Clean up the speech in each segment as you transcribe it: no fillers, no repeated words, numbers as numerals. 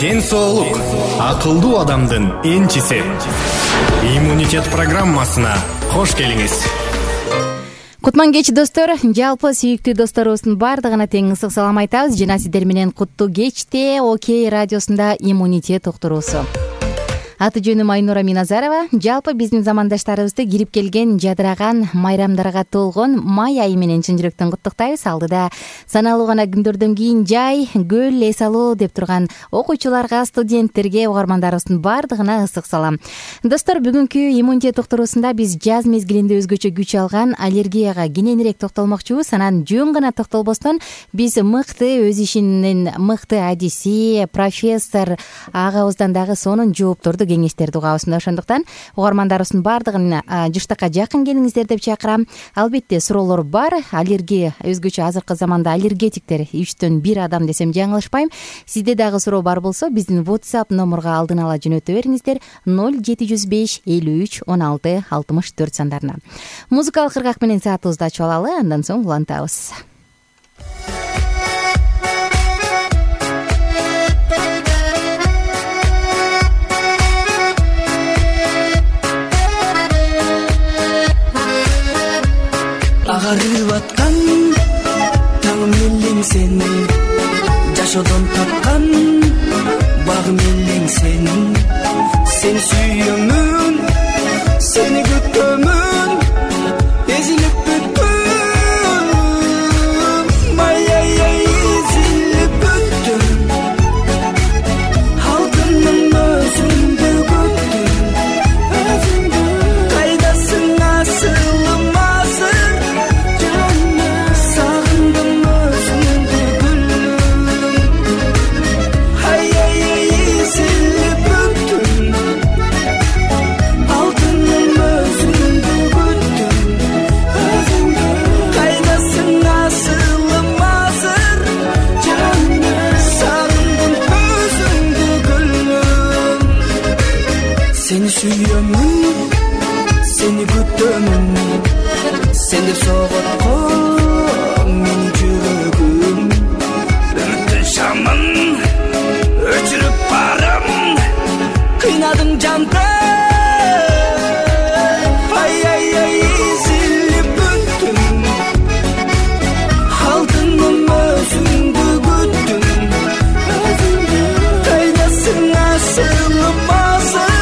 Ден соолук акылдуу адамдын энчиси. Иммунитет программасына кош келиңиз. Кутман кеч достор, жалпы сүйүктүү досторубуздун баардыгына тең ысык салам айтабыз жана сиздер менен куттуу кечте Окей радиосунда иммунитет уктуруусу. Аты жөнүм Айнура Миназарова. Жалпы биздин замандаштарыбызды кирип келген жадыраган майрамдарга толгон май айы менен чын жүрөктөн куттуктайбыз. Алдыда саналуу гана күндөрдөн кийин жай, көл, эс алуу деп турган окуучуларга, студенттерге, угармандарыбыздын баардыгына ысык салам. Достор, бүгүнкү иммунитет уктуруусунда биз жаз мезгилинде өзгөчө күч алган аллергияга кененирээк токтолмокчубуз. Анан жөн гана токтолбостон биз мыкты, өз ишинин мыкты адиси, профессор агабыздан дагы сонун жоопторду кеңештерди угабыз. Ошондуктан угармандарыбыздын баардыгын жыштакка жакын келиңиздер деп чакырам. Албетте суроолор бар. Аллергия өзгөчө азыркы заманда аллергетиктер 3-1 адам десем жаңылышпайм. Сизде дагы суроо бар болсо биздин WhatsApp номурга алдын ала жөнөтө бериңиздер 0705 53 16 64 сандарына. Музыкалык кыргак менен саатыбызды ачып алалы, андан соң улантабыз. Агарып аткан таңым элең сен, жашоодон тапкан багым элең сен. Сени сүйөмүн, сени күтөмүн, эзилип бүттүм. Ай эзилип бүттүм. Алтыным өзүңдү күттүм. Кайдасың асылым азыр? Seni sүйөмүn, seni күтөмүн, сен деп соготкон менин жүрөгүм. Үмүттүн шамын өчүрүп барам, кыйнадың жанды. Ай эзилип бүттүм. Алтыным өзүңдү күттүм. Кайдасың асылым азыр?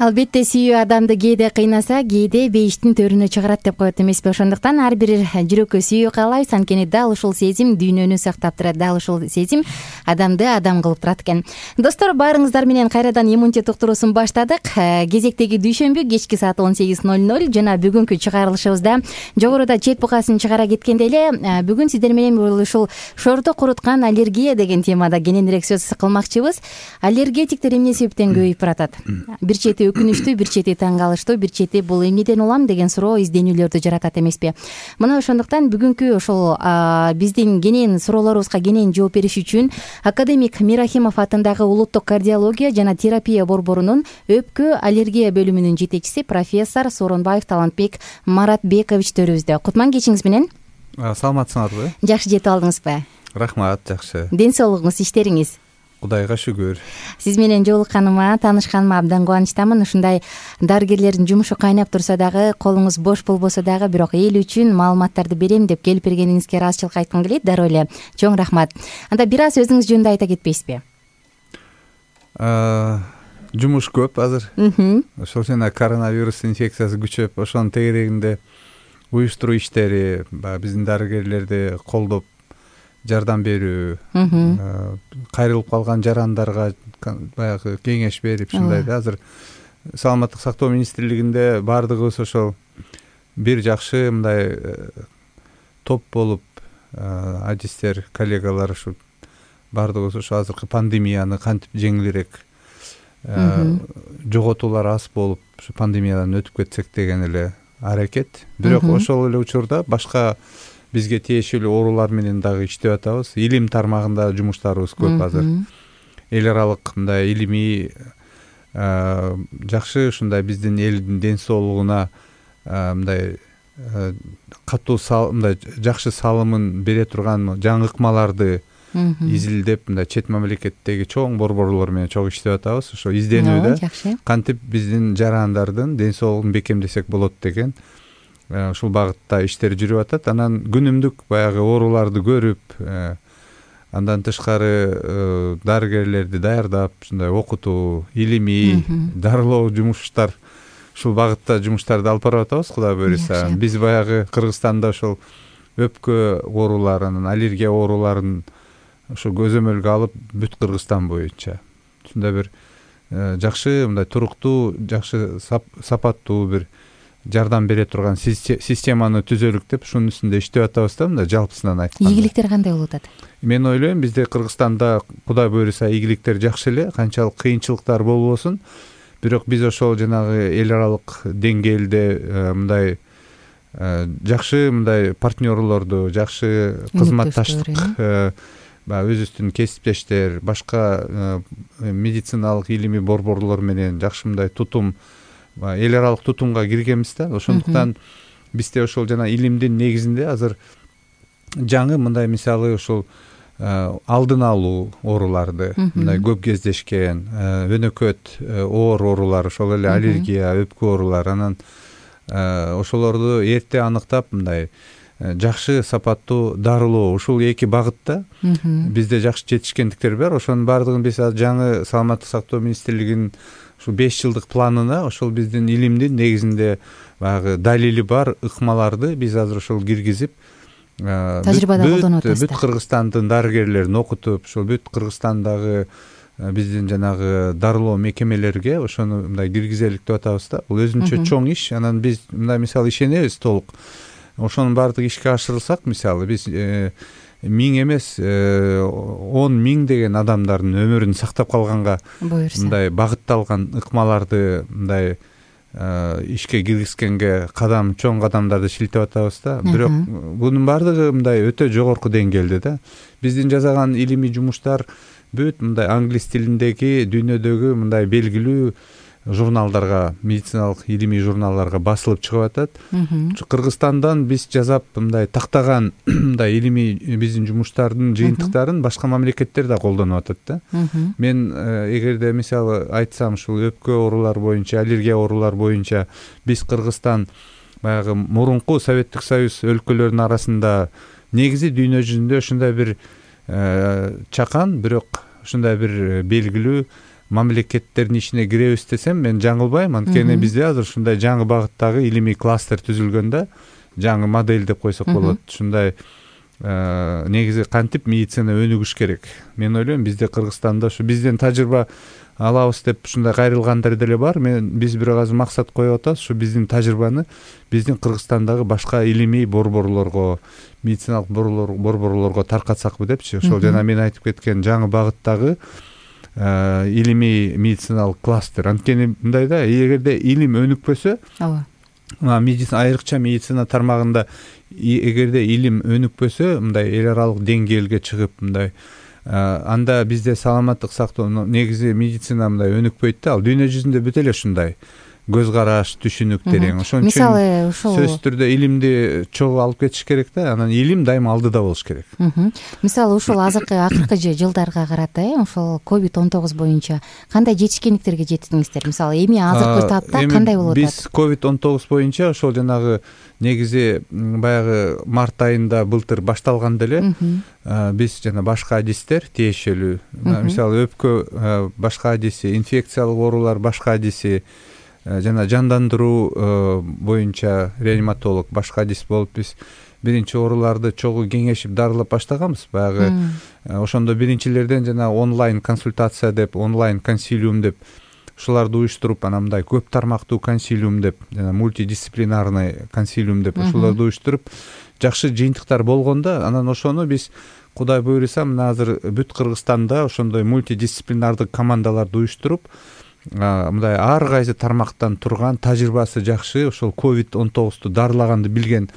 Албетте сүйүү адамды кээде кыйнаса, кээде бейиштин төрүнө чыгарат деп коет эмеспи? Ошондуктан ар бир жүрөккө сүйүү каалайбыз, анткени дал ушул сезим дүйнөнү сактап турат, дал ушул сезим адамды адам кылып турат экен. Достор, баарыңыздар менен кайрадан иммунитет уктуруусун баштадык. Кезектеги дүйшөмбү кечки саат 18:00 жана бүгүнкү чыгарылышыбызда жогоруда чет бугасын чыгара кеткенде эле бүгүн сиздер менен ушул шорду куруткан аллергия деген темада кененирээк сөз кылмакчыбыз. Аллергетиктер эмне себептен көбөйүп баратат? Бир чети өкүнүчтүү, бир чети таң калыштуу, бир чети бул эмнеден улам деген суроо изденүүлөрдү жаратат эмеспи? Мына ошондуктан бүгүнкү ошол биздин кенен суроолорубузга кенен жооп бериш үчүн академик Мирахимов атындагы улуттук кардиология жана терапия борборунун өпкө аллергия бөлүмүнүн жетекчиси профессор Сооронбаев Талантбек Маратбекович төрүбүздө. Кутман кечиңиз менен. Саламатсыңарбы? Жакшы жетип алдыңызбы? Рахмат, жакшы. Ден соолугуңуз, иштериңиз? Кудайга шүгүр. Сиз менен жолукканыма, таанышканыма абдан кубанычтамын. Ушундай дарыгерлердин жумушу кайнап турса дагы, колуңуз бош болбосо дагы, бирок эл үчүн маалыматтарды берем деп келип бергениңизге ыраазычылык айткым келет. Дароо эле чоң рахмат. Анда бир аз өзүңүз жөнүндө айта кетпейсизби? Жумуш көп азыр. Ошол жана коронавирус инфекциясы күчөп, ошонун тегерегинде уюштуруу иштери, биздин дарыгерлерди колдоп жардам берүү, кайрылып калган жарандарга баягы кеңеш берип, ушундай да. Азыр Саламаттык сактоо министрлигинде баардыгыбыз ошол бир жакшы мындай топ болуп, адистер, коллегалар ушу баардыгыбыз ошо азыркы пандемияны кантип жеңилирээк, жоготуулар аз болуп, ушу пандемиядан өтүп кетсек деген эле аракет. Бирок ошол эле учурда башка бизге тиешелүү оорулар менен дагы иштеп атабыз. Илим тармагында жумуштарыбыз көп азыр. Эл аралык мындай илимий жакшы ушундай биздин элдин ден соолугуна мындай катуу мындай жакшы салымын бере турган жаңы ыкмаларды изилдеп, мындай чет мамлекеттеги чоң борборлор менен чогуу иштеп атабыз. Ошо изденүүдө кантип биздин жарандардын ден соолугун бекемдесек болот деген ушул багытта иштер жүрүп атат. Анан күнүмдүк баягы ооруларды көрүп, андан тышкары дарыгерлерди даярдап, ушундай окутуу, илимий, дарылоо жумуштар, ушул багытта жумуштарды алып барып атабыз, Кудай буйруса. Биз баягы Кыргызстанда ошол өпкө ооруларын, аллергия ооруларын ошо көзөмөлгө алып, бүт Кыргызстан боюнча ушундай бир жакшы, мындай туруктуу, жакшы сапаттуу бир жардам бере турган системаны түзөлүк деп ушунун үстүндө иштеп атабыз да, мындай жалпысынан айтканда. Ийгиликтер кандай болуп атат? Мен ойлойм, бизде Кыргызстанда Кудай буйруса ийгиликтер жакшы эле, канчалык кыйынчылыктар болбосун, бирок биз ошол жанагы эл аралык деңгээлде мындай жакшы мындай партнерлорду, жакшы кызматташтык, өзүбүздүн кесиптештер, башка медициналык илимий борборлор менен жакшы мындай тутум, эл аралык тутумга киргенбиз да. Ошондуктан бизде ошол жана илимдин негизинде азыр жаңы мындай мисалы ошол алдын алуу ооруларды, мындай көп кездешкен өнөкөт оор оорулар, ошол эле аллергия, өпкө оорулар, анан ошолорду эрте аныктап, мындай жакшы сапаттуу дарылоо, ушул эки багытта бизде жакшы жетишкендиктер бар. Ошонун баардыгын биз жаңы Саламаттык сактоо министрлигинин ушул 5 жылдык планына ошол биздин илимдин негизинде баягы далили бар ыкмаларды биз азыр ошол киргизип, тажрыйбада колдонуп атабыз. Бүт Кыргызстандын дарыгерлерин окутуп, ошол бүт Кыргызстандагы биздин жанагы дарылоо мекемелерге ошону мындай киргизелик деп атабыз да. Бул өзүнчө чоң иш. Анан биз мындай мисалы ишенебиз толук. Ошонун баардыгы ишке ашырылсак, мисалы биз 1000 эмес 10.000 деген адамдардын өмүрүн сактап калганга мындай багытталган ыкмаларды мындай ишке киргизгенге чоң кадамдарды шилтеп атабыз да. Бирок бунун баардыгы мындай өтө жогорку деңгээлде да. Биздин жасаган илимий жумуштар бүт мындай англис тилиндеги дүйнөдөгү мындай белгилүү журналдарга, медициналык илимий журналдарга басылып чыгып атат. Кыргызстандан биз жасап мындай тактаган мындай илимий биздин жумуштардын жыйынтыктарын башка мамлекеттер да колдонуп атат да. Мен эгерде мисалы айтсам, ушул өпкө оорулар боюнча, аллергия оорулар боюнча биз Кыргызстан баягы мурунку Советтик Союз өлкөлөрүнүн арасында негизи дүйнө жүзүндө ушундай бир чакан, бирок ушундай бир белгилүү мамлекеттердин ичине киребиз десем мен жаңылбайм. Анткени бизде азыр ушундай жаңы багыттагы илимий кластер түзүлгөн да, жаңы модель деп койсок болот. Ушундай негизи кантип медицина өнүгүш керек. Мен ойлойм бизде Кыргызстанда ушу бизден тажрыйба алабыз деп ушундай кайрылгандар деле бар. Биз бирок азыр максат коюп атабыз, ушу биздин тажрыйбаны биздин Кыргызстандагы башка илимий борборлорго, медициналык борборлорго таркатсакпы депчи. Ошол жана мен айтып кеткен жаңы багыттагы илимий медициналык кластер. Анткени мындай да, эгерде илим өнүкпөсө, медицина, айрыкча медицина тармагында эгерде илим өнүкпөсө, мындай эл аралык деңгээлге чыгып, мындай анда бизде саламаттык сактоо негизи медицина мындай өнүкпөйт да. Ал дүйнө жүзүндө бүт эле ушундай көз караш, түшүнүк терең. Ошон үчүн мисалы ушул сөзсүз түрдө илимди чогуу алып кетиш керек да. Анан илим дайыма алдыда болуш керек. Мисалы ушул акыркы жылдарга карата, ошол COVID-19 боюнча кандай жетишкендиктерге жеттиңиздер? Мисалы эми азыркы таапта кандай болуп атат? Биз COVID-19 боюнча ошол жанагы негизи баягы март айында былтыр башталганда эле биз жана башка адистер тиешелүү, мисалы өпкө башка адиси, инфекциялык оорулар башка адиси, жана жандандыруу боюнча реаниматолог башка адис болуп биз биринчи ооруларды чогуу кеңешип дарылап баштаганбыз. Баягы ошондо биринчилерден жана онлайн консультация деп, онлайн консилиум деп ушуларды уюштуруп, анан мындай көп тармактуу консилиум деп, жана мультидисциплинарный консилиум деп ушуларды уюштуруп жакшы жыйынтыктар болгондо, анан ошону биз Кудай буйруса мына азыр бүт Кыргызстанда ошондой мультидисциплинардык командаларды уюштуруп, мындай ар кайсы тармактан турган, тажрыйбасы жакшы, ошол COVID-19 дарылаганды билген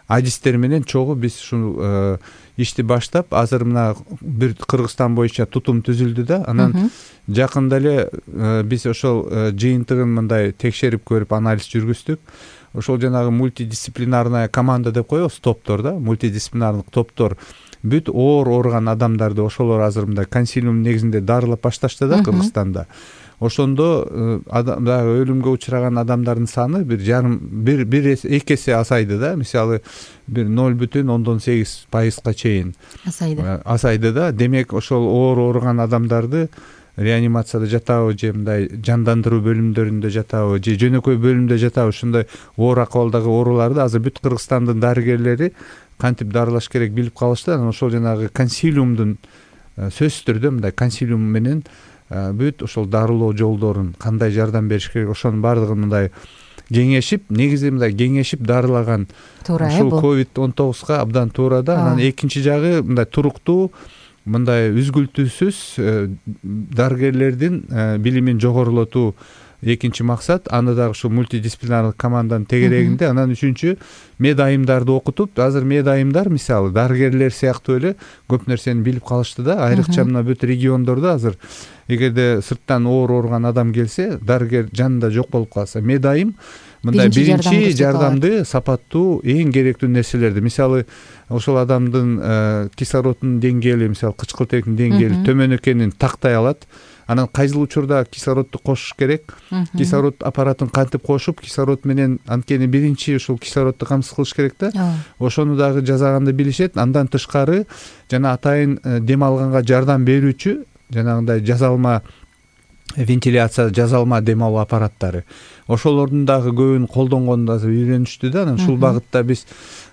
адистер менен чогуу биз ушул ишти баштап, азыр мына бир Кыргызстан боюнча тутум түзүлдү да. Анан жакында эле биз ошол жыйынтыгын мындай текшерип көрүп, анализ жүргүздүк. Ошол жанагы мультидисциплинарная команда деп коебуз, топтор да, мультидисциплинардык топтор бүт оор ооруган адамдарды ошолор азыр мындай консилиум негизинде дарылап башташты да Кыргызстанда. Ошондо дагы өлүмгө учураган адамдардын саны эки эсе азайды да. Мисалы бир 0,8% чейин азайды да. Демек ошол оор ооруган адамдарды реанимацияда жатабы же мындай жандандыруу бөлүмдөрүндө жатабы же жөнөкөй бөлүмдө жатабы, ушундай оор акыбалдагы ооруларды азыр бүт Кыргызстандын дарыгерлери кантип дарылаш керек билип калышты. Анан ошол жанагы консилиумдун сөзсүз түрдө мындай консилиум менен бүт ошол дарылоо жолдорун, кандай жардам бериш керек, ошонун баардыгын мындай кеңешип, негизи мындай кеңешип дарылаган ушул COVID-19га абдан туура да. Анан экинчи жагы мындай туруктуу, мындай үзгүлтүүсүз дарыгерлердин билимин жогорулотуу экинчи максат. Аны дагы ушул мультидисциплинардык команданын тегерегинде. Анан үчүнчү, медайымдарды окутуп, азыр медайымдар мисалы дарыгерлер сыяктуу эле көп нерсени билип калышты да. Айрыкча мына бүт региондордо азыр эгерде сырттан оор ооруган адам келсе, дарыгер жанында жок болуп калса, медайым мындай биринчи жардамды, сапаттуу, эң керектүү нерселерди, мисалы ошол адамдын кислороддун деңгээли, мисалы кычкылтектин деңгээли төмөн экенин тактай алат. Анан кайсыл учурда кислородду кошуш керек, кислород аппаратын кантип кошуп, кислород менен, анткени биринчи ушул кислородду камсыз кылыш керек да. Ошону дагы жасаганды билишет. Андан тышкары жана атайын дем алганга жардам берүүчү жанагындай жазалма вентиляция, жазалма дем алуу аппараттары, ошолордун дагы көбүн колдонгонду азыр үйрөнүштү да. Анан ушул багытта биз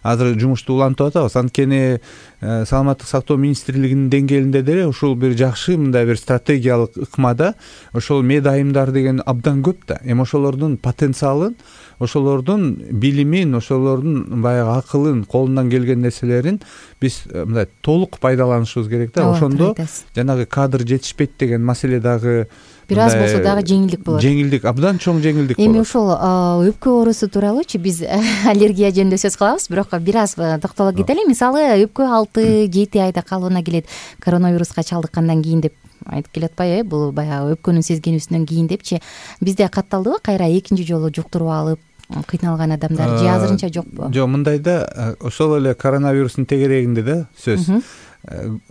азыр жумушту улантып атабыз. Анткени саламаттык сактоо министрлигинин деңгээлинде деле ушул бир жакшы мындай бир стратегиялык ыкмада ошол медайымдар деген абдан көп да. Эми ошолордун потенциалын, ошолордун билимин, ошолордун баягы акылын, колунан келген нерселерин биз мындай толук пайдаланышыбыз керек да. Ошондо жанагы кадр жетишпейт деген маселе дагы бир аз болсо дагы жеңилдик болот. Жеңилдик, абдан чоң жеңилдик болот. Эми ошол өпкө оорусу тууралуучу биз аллергия жөнүндө сөз кылабыз, бирок бир аз токтоло кетели. Мисалы өпкө 6-7 айда калыбына келет, коронавируска чалдыккандан кийин деп айтып келатпайбы? Бул баягы өпкөнүн сезгенүүсүнөн кийин депчи. Бизде катталдыбы кайра экинчи жолу жуктуруп алып кыйналган адамдар же азырынча жокпу? Жок, мындай да, ошол эле коронавирустун тегерегинде да сөз.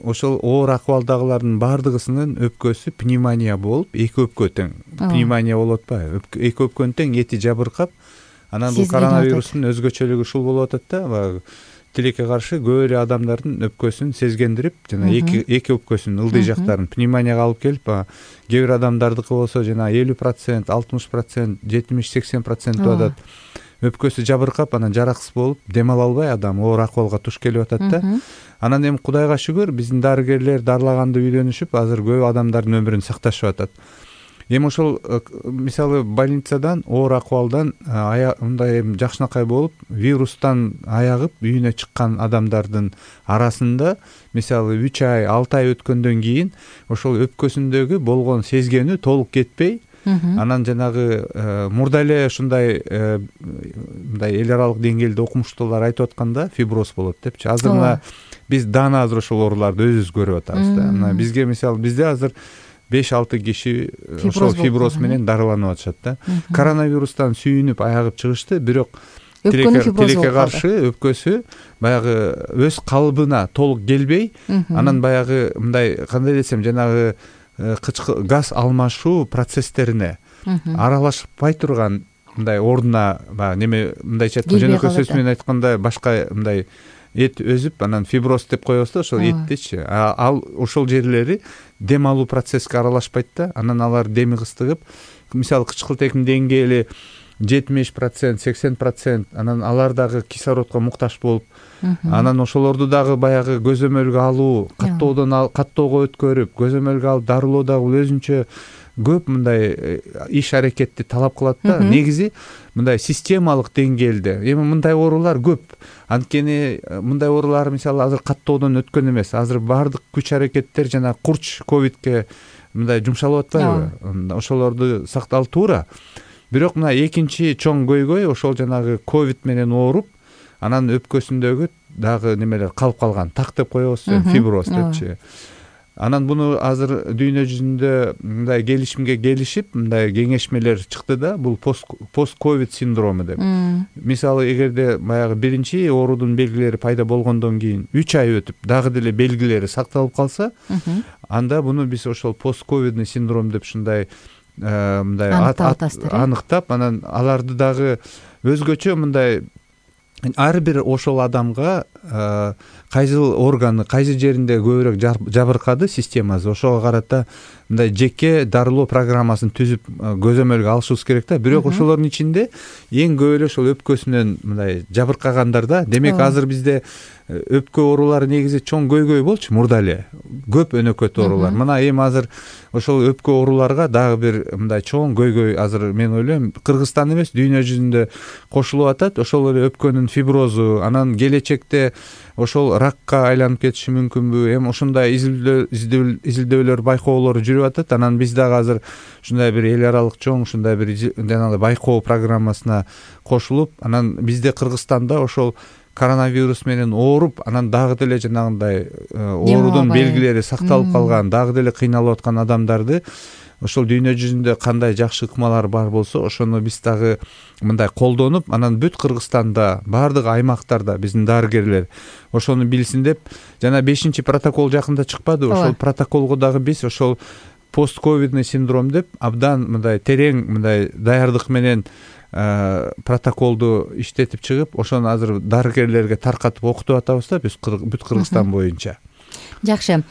Ошол оор акыбалдагылардын баардыгысынын өпкөсү пневмония болуп, эки өпкө тең пневмония болуп атпайбы? Эки өпкөнүн тең эти жабыркап, анан бул коронавирустун өзгөчөлүгү ушул болуп атат да. тилекке каршы көп эле адамдардын өпкөсүн сезгендирип жана эки өпкөсүнүн ылдый жактарын пневмонияга алып келип, кээ бир адамдардыкы болсо жана 50%, 60%, 70-80% атат. Өпкөсү жабыркап, анан жараксыз болуп, дем ала албай адам оор акыбалга туш келип атат да. Анан эми Кудайга шүгүр, биздин дарыгерлер дарылаганды үйлөнүшүп, азыр көп адамдардын өмүрүн сакташып атат. Эми ошол мисалы больницадан, оор акыбалдан мындай жакшынакай болуп, вирустан аягып үйүнө чыккан адамдардын арасында мисалы 3 ай, 6 ай өткөндөн кийин ошол өпкөсүндөгү болгон сезгени толук кетпей, анан жанагы мурда эле ушундай мындай эл аралык деңгээлде окумуштуулар айтып атканда фиброз болот депчи. Азыр мына биз дана азыр ошол ооруларды өзүбүз көрүп атабыз да. Мына бизге мисалы бизде азыр 5-6 киши ошол фиброз менен дарыланып атышат да. Коронавирустан сүйүнүп аягып чыгышты, бирок тилекке каршы өпкөсү баягы өз калыбына толук келбей, анан баягы мындай кандай десем, жанагы газ алмашуу процесстерине аралашпай турган мындай ордуна баягы неме мындайча айтканда, жөнөкөй сөз менен айтканда башка мындай эт өзүп, анан фиброз деп коебуз да ошол эттичи. Ал ошол жерлери дем алуу процесске аралашпайт да. Анан алар деми кыстыгып, мисалы кычкылтектин деңгээли 70%, 80%, анан алар дагы кислородко муктаж болуп, анан ошолорду дагы баягы көзөмөлгө алуу, каттоого өткөрүп, көзөмөлгө алып дарылоо дагы өзүнчө көп мындай иш аракетти талап кылат да. Негизи мындай системалык деңгээлде. Эми мындай оорулар көп. Анткени мындай оорулар мисалы азыр каттоодон өткөн эмес. Азыр баардык күч аракеттер жана курч ковидке мындай жумшалып атпайбы? Ошолорду сактал туура. Бирок мына экинчи чоң көйгөй ошол жанагы ковид менен ооруп, анан өпкөсүндөгү дагы немелер калып калган, так деп коебуз, фиброз депчи. Анан буну азыр дүйнө жүзүндө мындай келишимге келишип, мындай кеңешмелер чыкты да, бул пост-ковид синдрому деп. Мисалы эгерде баягы биринчи оорудун белгилери пайда болгондон кийин 3 ай өтүп, дагы деле белгилери сакталып калса, анда буну биз ошол пост-ковидный синдром деп ушундай мындай аныктап, анан аларды дагы өзгөчө мындай ар бир ошол адамга кайсы органы, кайсы жеринде көбүрөөк жабыркады системасы, ошого карата мындай жеке дарылоо программасын түзүп көзөмөлгө алышыбыз керек да. Бирок ошолордун ичинде эң көп эле ошол өпкөсүнөн мындай жабыркагандар да. Демек азыр бизде өпкө оорулары негизи чоң көйгөй болчу мурда эле. Көп өнөкөт оорулар. Мына эми азыр ошол өпкө ооруларга дагы бир мындай чоң көйгөй азыр мен ойлойм Кыргызстан эмес, дүйнө жүзүндө кошулуп атат. Ошол эле өпкөнүн фиброзу, анан келечекте ошол ракка айланып кетиши мүмкүнбү? Эми ушундай изилдөөлөр, байкоолор жүрүп атат. Анан биз дагы азыр ушундай бир эл аралык чоң ушундай бир жанагы байкоо программасына кошулуп, анан бизде Кыргызстанда ошол коронавирус менен ооруп, анан дагы деле жанагындай оорудун белгилери сакталып калган, дагы деле кыйналып аткан адамдарды ошол дүйнө жүзүндө кандай жакшы ыкмалар бар болсо, ошону биз дагы мындай колдонуп, анан бүт Кыргызстанда, баардык аймактарда биздин дарыгерлер ошону билсин деп, жана 5-чи протокол жакында чыкпады, ошол протоколго дагы биз ошол постковидный синдром деп абдан мындай терең мындай даярдык менен протоколду иштетип чыгып, ошону азыр дарыгерлерге таркатып окутуп атабыз да биз бүт Кыргызстан боюнча. Жакшы.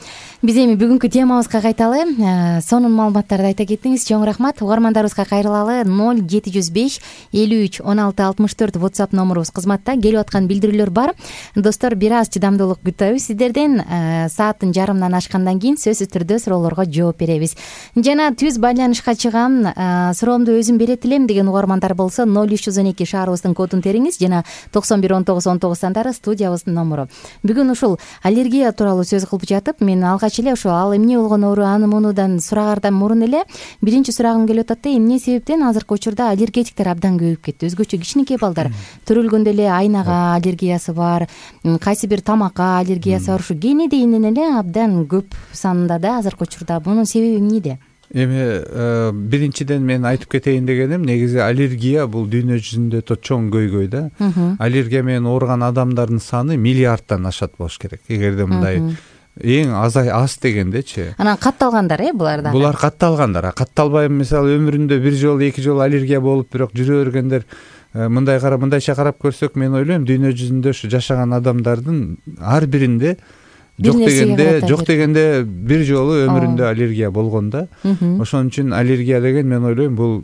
Биз эми бүгүнкү темабызга кайталы. Сонун маалыматтарды айта кеттиңиз. Чоң рахмат. Угармандарыбызга кайрылалы. 0705 53 16 64 WhatsApp номурубуз кызматта. Келип аткан билдирүүлөр бар. Достор, бир аз чыдамдуулук күтөбүз сиздерден. Сааттын жарымынан ашкандан кийин сөзсүз түрдө суроолорго жооп беребиз. Жана түз байланышка чыгам, суроомду өзүм берет элем деген угармандар болсо 0312 шаарыбыздын кодун териңиз, жана 91 19 19 сандары студиябыздын номуру. Бүгүн ушул аллергия тууралуу сөз кылып жатып, мен алгач эле ошо ал эмне болгон оору, аны мунудан сурагардан мурун эле биринчи сурагым келип атат да, эмне себептен азыркы учурда аллергетиктер абдан көбөйүп кетти? Өзгөчө кичинекей балдар төрөлгөндө эле айнага аллергиясы бар, кайсы бир тамакка аллергиясы бар, ушу кенедейинен эле абдан көп санда да азыркы учурда. Мунун себеби эмнеде? Эми биринчиден мен айтып кетейин дегеним, негизи аллергия бул дүйнө жүзүндө чоң көйгөй да. Аллергия менен ооруган адамдардын саны миллиардтан ашат болуш керек. Эгерде мындай эң аз дегендечи. Анан катталгандар булар да. Булар катталгандар. Катталбай, мисалы өмүрүндө бир жолу, эки жолу аллергия болуп, бирок жүрө бергендер мындайча карап көрсөк, мен ойлойм дүйнө жүзүндө ушу жашаган адамдардын ар биринде жок дегенде бир жолу өмүрүндө аллергия болгон да. Ошон үчүн аллергия деген, мен ойлойм, бул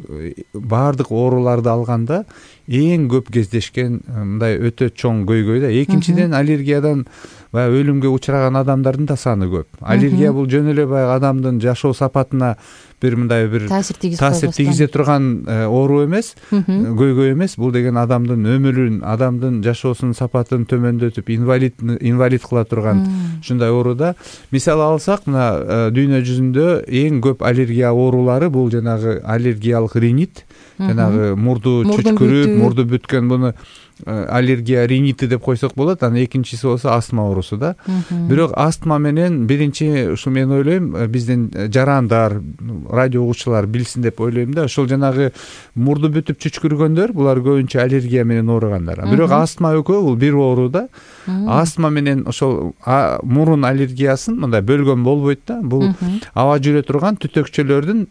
баардык ооруларды алганда эң көп кездешкен мындай өтө чоң көйгөй да. Экинчиден, аллергиядан баягы өлүмгө учураган адамдардын да саны көп. Аллергия бул жөн эле баягы адамдын жашоо сапатына бир мындай бир таасир тийгизе турган оору эмес, көйгөй эмес. Бул деген адамдын өмүрүн, адамдын жашоосунун сапатын төмөндөтүп, инвалид кыла турган ушундай оору да. Мисалы алсак, мына дүйнө жүзүндө эң көп аллергия оорулары бул жанагы аллергиялык ринит, жанагы мурду чүчкүрүп, мурду бүткөн, буну аллергия ринити деп койсок болот. Анан экинчиси болсо астма оорусу да. Бирок астма менен биринчи ушу, мен ойлойм, биздин жарандар, радио угуучулар билсин деп ойлойм да. Ошол жанагы мурду бүтүп чүчкүргөндөр, булар көбүнчө аллергия менен ооругандар. Бирок астма экөө бул бир оору да. Астма менен ошол мурун аллергиясын мындай бөлгөн болбойт да. Бул аба жүрө турган түтөкчөлөрдүн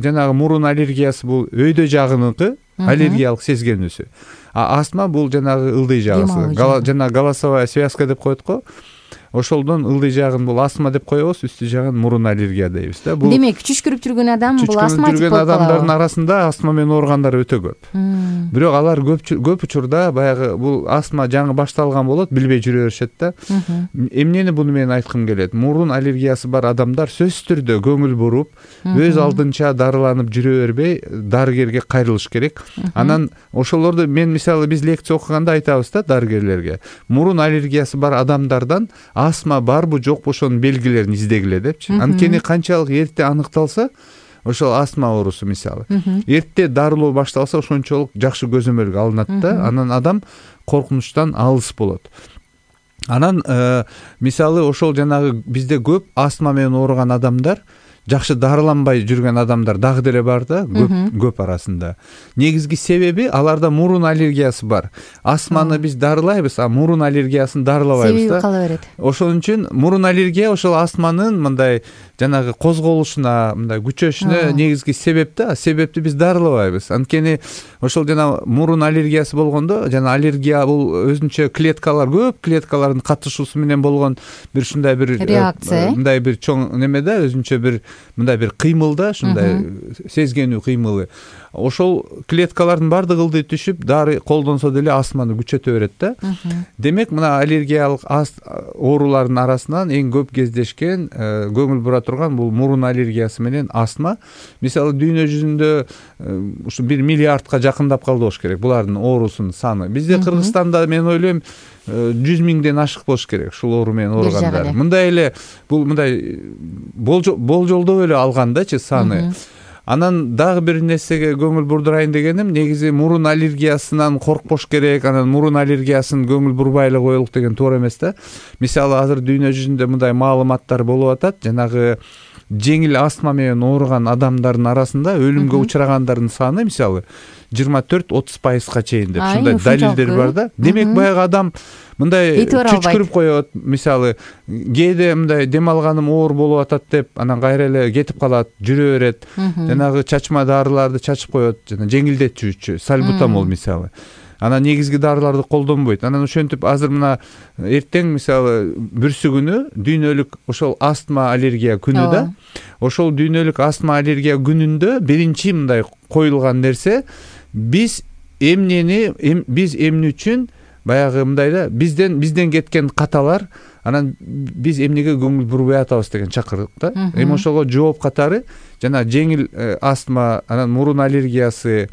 жанагы мурун аллергиясы бул өйдө жагыныкы аллергиялык сезгенүүсү. Астма бул жанагы ылдый жагысы. Жана голосовая связка деп коет го. Ошолдон ылдый жагын бул астма деп коебуз, үстү жагын мурун аллергия дейбиз да. Бул демек чүчкүрүп жүргөн адам бул астматик болуп калат. Адамдардын арасында астма менен ооругандар өтө көп. Бирок алар көп учурда баягы бул астма жаңы башталган болот, билбей жүрө беришет да. Эмнени буну менен айткым келет? Мурун аллергиясы бар адамдар сөзсүз түрдө көңүл буруп, өз алдынча дарыланып жүрө бербей, дарыгерге кайрылыш керек. Анан ошолорду мен, мисалы, биз лекция окуганда айтабыз да дарыгерлерге. Мурун аллергиясы бар адамдардан астма барбы жокпу ошонун белгилерин издегиле депчи. Анткени канчалык эрте аныкталса, ошол астма оорусу, мисалы, эрте дарылоо башталса, ошончолук жакшы көзөмөлгө алынат да. Анан адам коркунучтан алыс болот. Анан мисалы ошол жанагы бизде көп астма менен ооруган адамдар, жакшы дарыланбай жүргөн адамдар дагы деле бар да, көп арасында. Негизги себеби аларда мурун аллергиясы бар. Астманы биз дарылайбыз, а мурун аллергиясын дарылабайбыз да. Себеби кала берет. Ошон үчүн мурун аллергия ошол астманын мындай жанагы козголушуна, мындай күчөшүнө негизги себеп да. Себепти биз дарылабайбыз. Анткени ошол жана мурун аллергиясы болгондо, жана аллергия бул өзүнчө клеткалар, көп клеткалардын катышуусу менен болгон бир ушундай бир реакция, мындай бир чоң неме да, өзүнчө бир мындай бир кыймыл да, ушундай сезгенүү кыймылы. Ошол клеткалардын баардыгы ылдый түшүп, дары колдонсо деле астманы күчөтө берет да. Демек, мына аллергиялык оорулардын арасынан эң көп кездешкен, көңүл бура турган бул мурун аллергиясы менен астма. Мисалы, дүйнө жүзүндө ушу 1 миллиардка жакындап калды болуш керек булардын оорусунун саны. Бизде Кыргызстанда, мен ойлойм, 100 миңден ашык болуш керек ушул оору менен ооругандар. Мындай эле бул мындай болжолдоп эле алгандачы саны. Анан дагы бир нерсеге көңүл бурдурайын дегеним, негизи мурун аллергиясынан коркпош керек, анан мурун аллергиясын көңүл бурбай эле коелук деген туура эмес да. Мисалы, азыр дүйнө жүзүндө мындай маалыматтар болуп атат, жанагы жеңил астма менен ооруган адамдардын арасында өлүмгө учурагандардын саны, мисалы, 24-30%га чейин деп ушундай далилдер бар да. Демек, баягы адам мындай чүчкүрүп коет, мисалы, кээде мындай дем алганым оор болуп атат деп, анан кайра эле кетип калат, жүрө берет. Жанагы чачма дарыларды чачып коет, жана жеңилдетүүчү, сальбутамол мисалы. Анан негизги дарыларды колдонбойт. Анан ошентип азыр мына эртең, мисалы, бүрсү күнү дүйнөлүк ошол астма аллергия күнү да. Ошол дүйнөлүк астма аллергия күнүндө биринчи мындай коюлган нерсе, биз эмне үчүн баягы мындай да, бизден кеткен каталар, анан биз эмнеге көңүл бурбай атабыз деген чакырык да. Эми ошого жооп катары жана жеңил астма, анан мурун аллергиясы,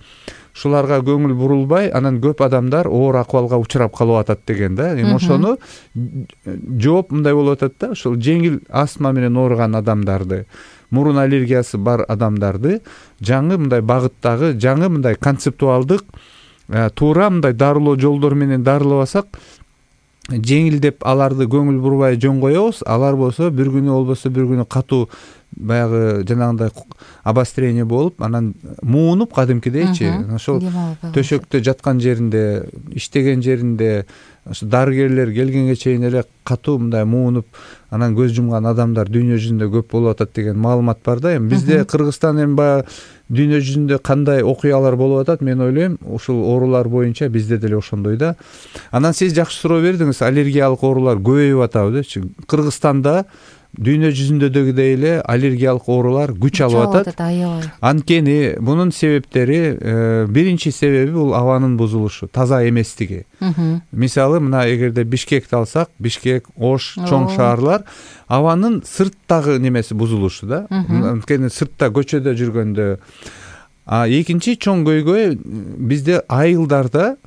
шуларга көңүл бурулбай, анан көп адамдар оор акыбалга учурап калып атат деген да. Эми ошону жооп мындай болуп атат да, ошол жеңил астма менен ооруган адамдарды, мурун аллергиясы бар адамдарды жаңы мындай багыттагы, жаңы мындай концептуалдык, туура мындай дарылоо жолдору менен дарылабасак, жеңилдеп аларды көңүл бурбай жөн коебуз. Алар болсо бир күнү катуу баягы жанагындай обострение болуп, анан муунуп кадимкидейчи, ошол төшөктө жаткан жеринде, иштеген жеринде, ошо дарыгерлер келгенге чейин эле катуу мындай муунуп, анан көз жумган адамдар дүйнө жүзүндө көп болуп атат деген маалымат бар да. Эми бизде Кыргызстан эми баягы дүйнө жүзүндө кандай окуялар болуп атат, мен ойлойм ушул оорулар боюнча бизде деле ошондой да. Анан сиз жакшы суроо бердиңиз, аллергиялык оорулар көбөйүп атабы депчи. Кыргызстанда дүйнө жүзүндөгүдөй эле аллергиялык оорулар күч алып атат. Аябай. Анткени мунун себептери, биринчи себеби бул абанын бузулушу, таза эместиги. Мисалы, мына эгерде Бишкекти алсак, Бишкек, Ош, чоң шаарлар абанын сырттагы немеси бузулушу да. Анткени сыртта көчөдө жүргөндө. Экинчи чоң көйгөй бизде айылдарда,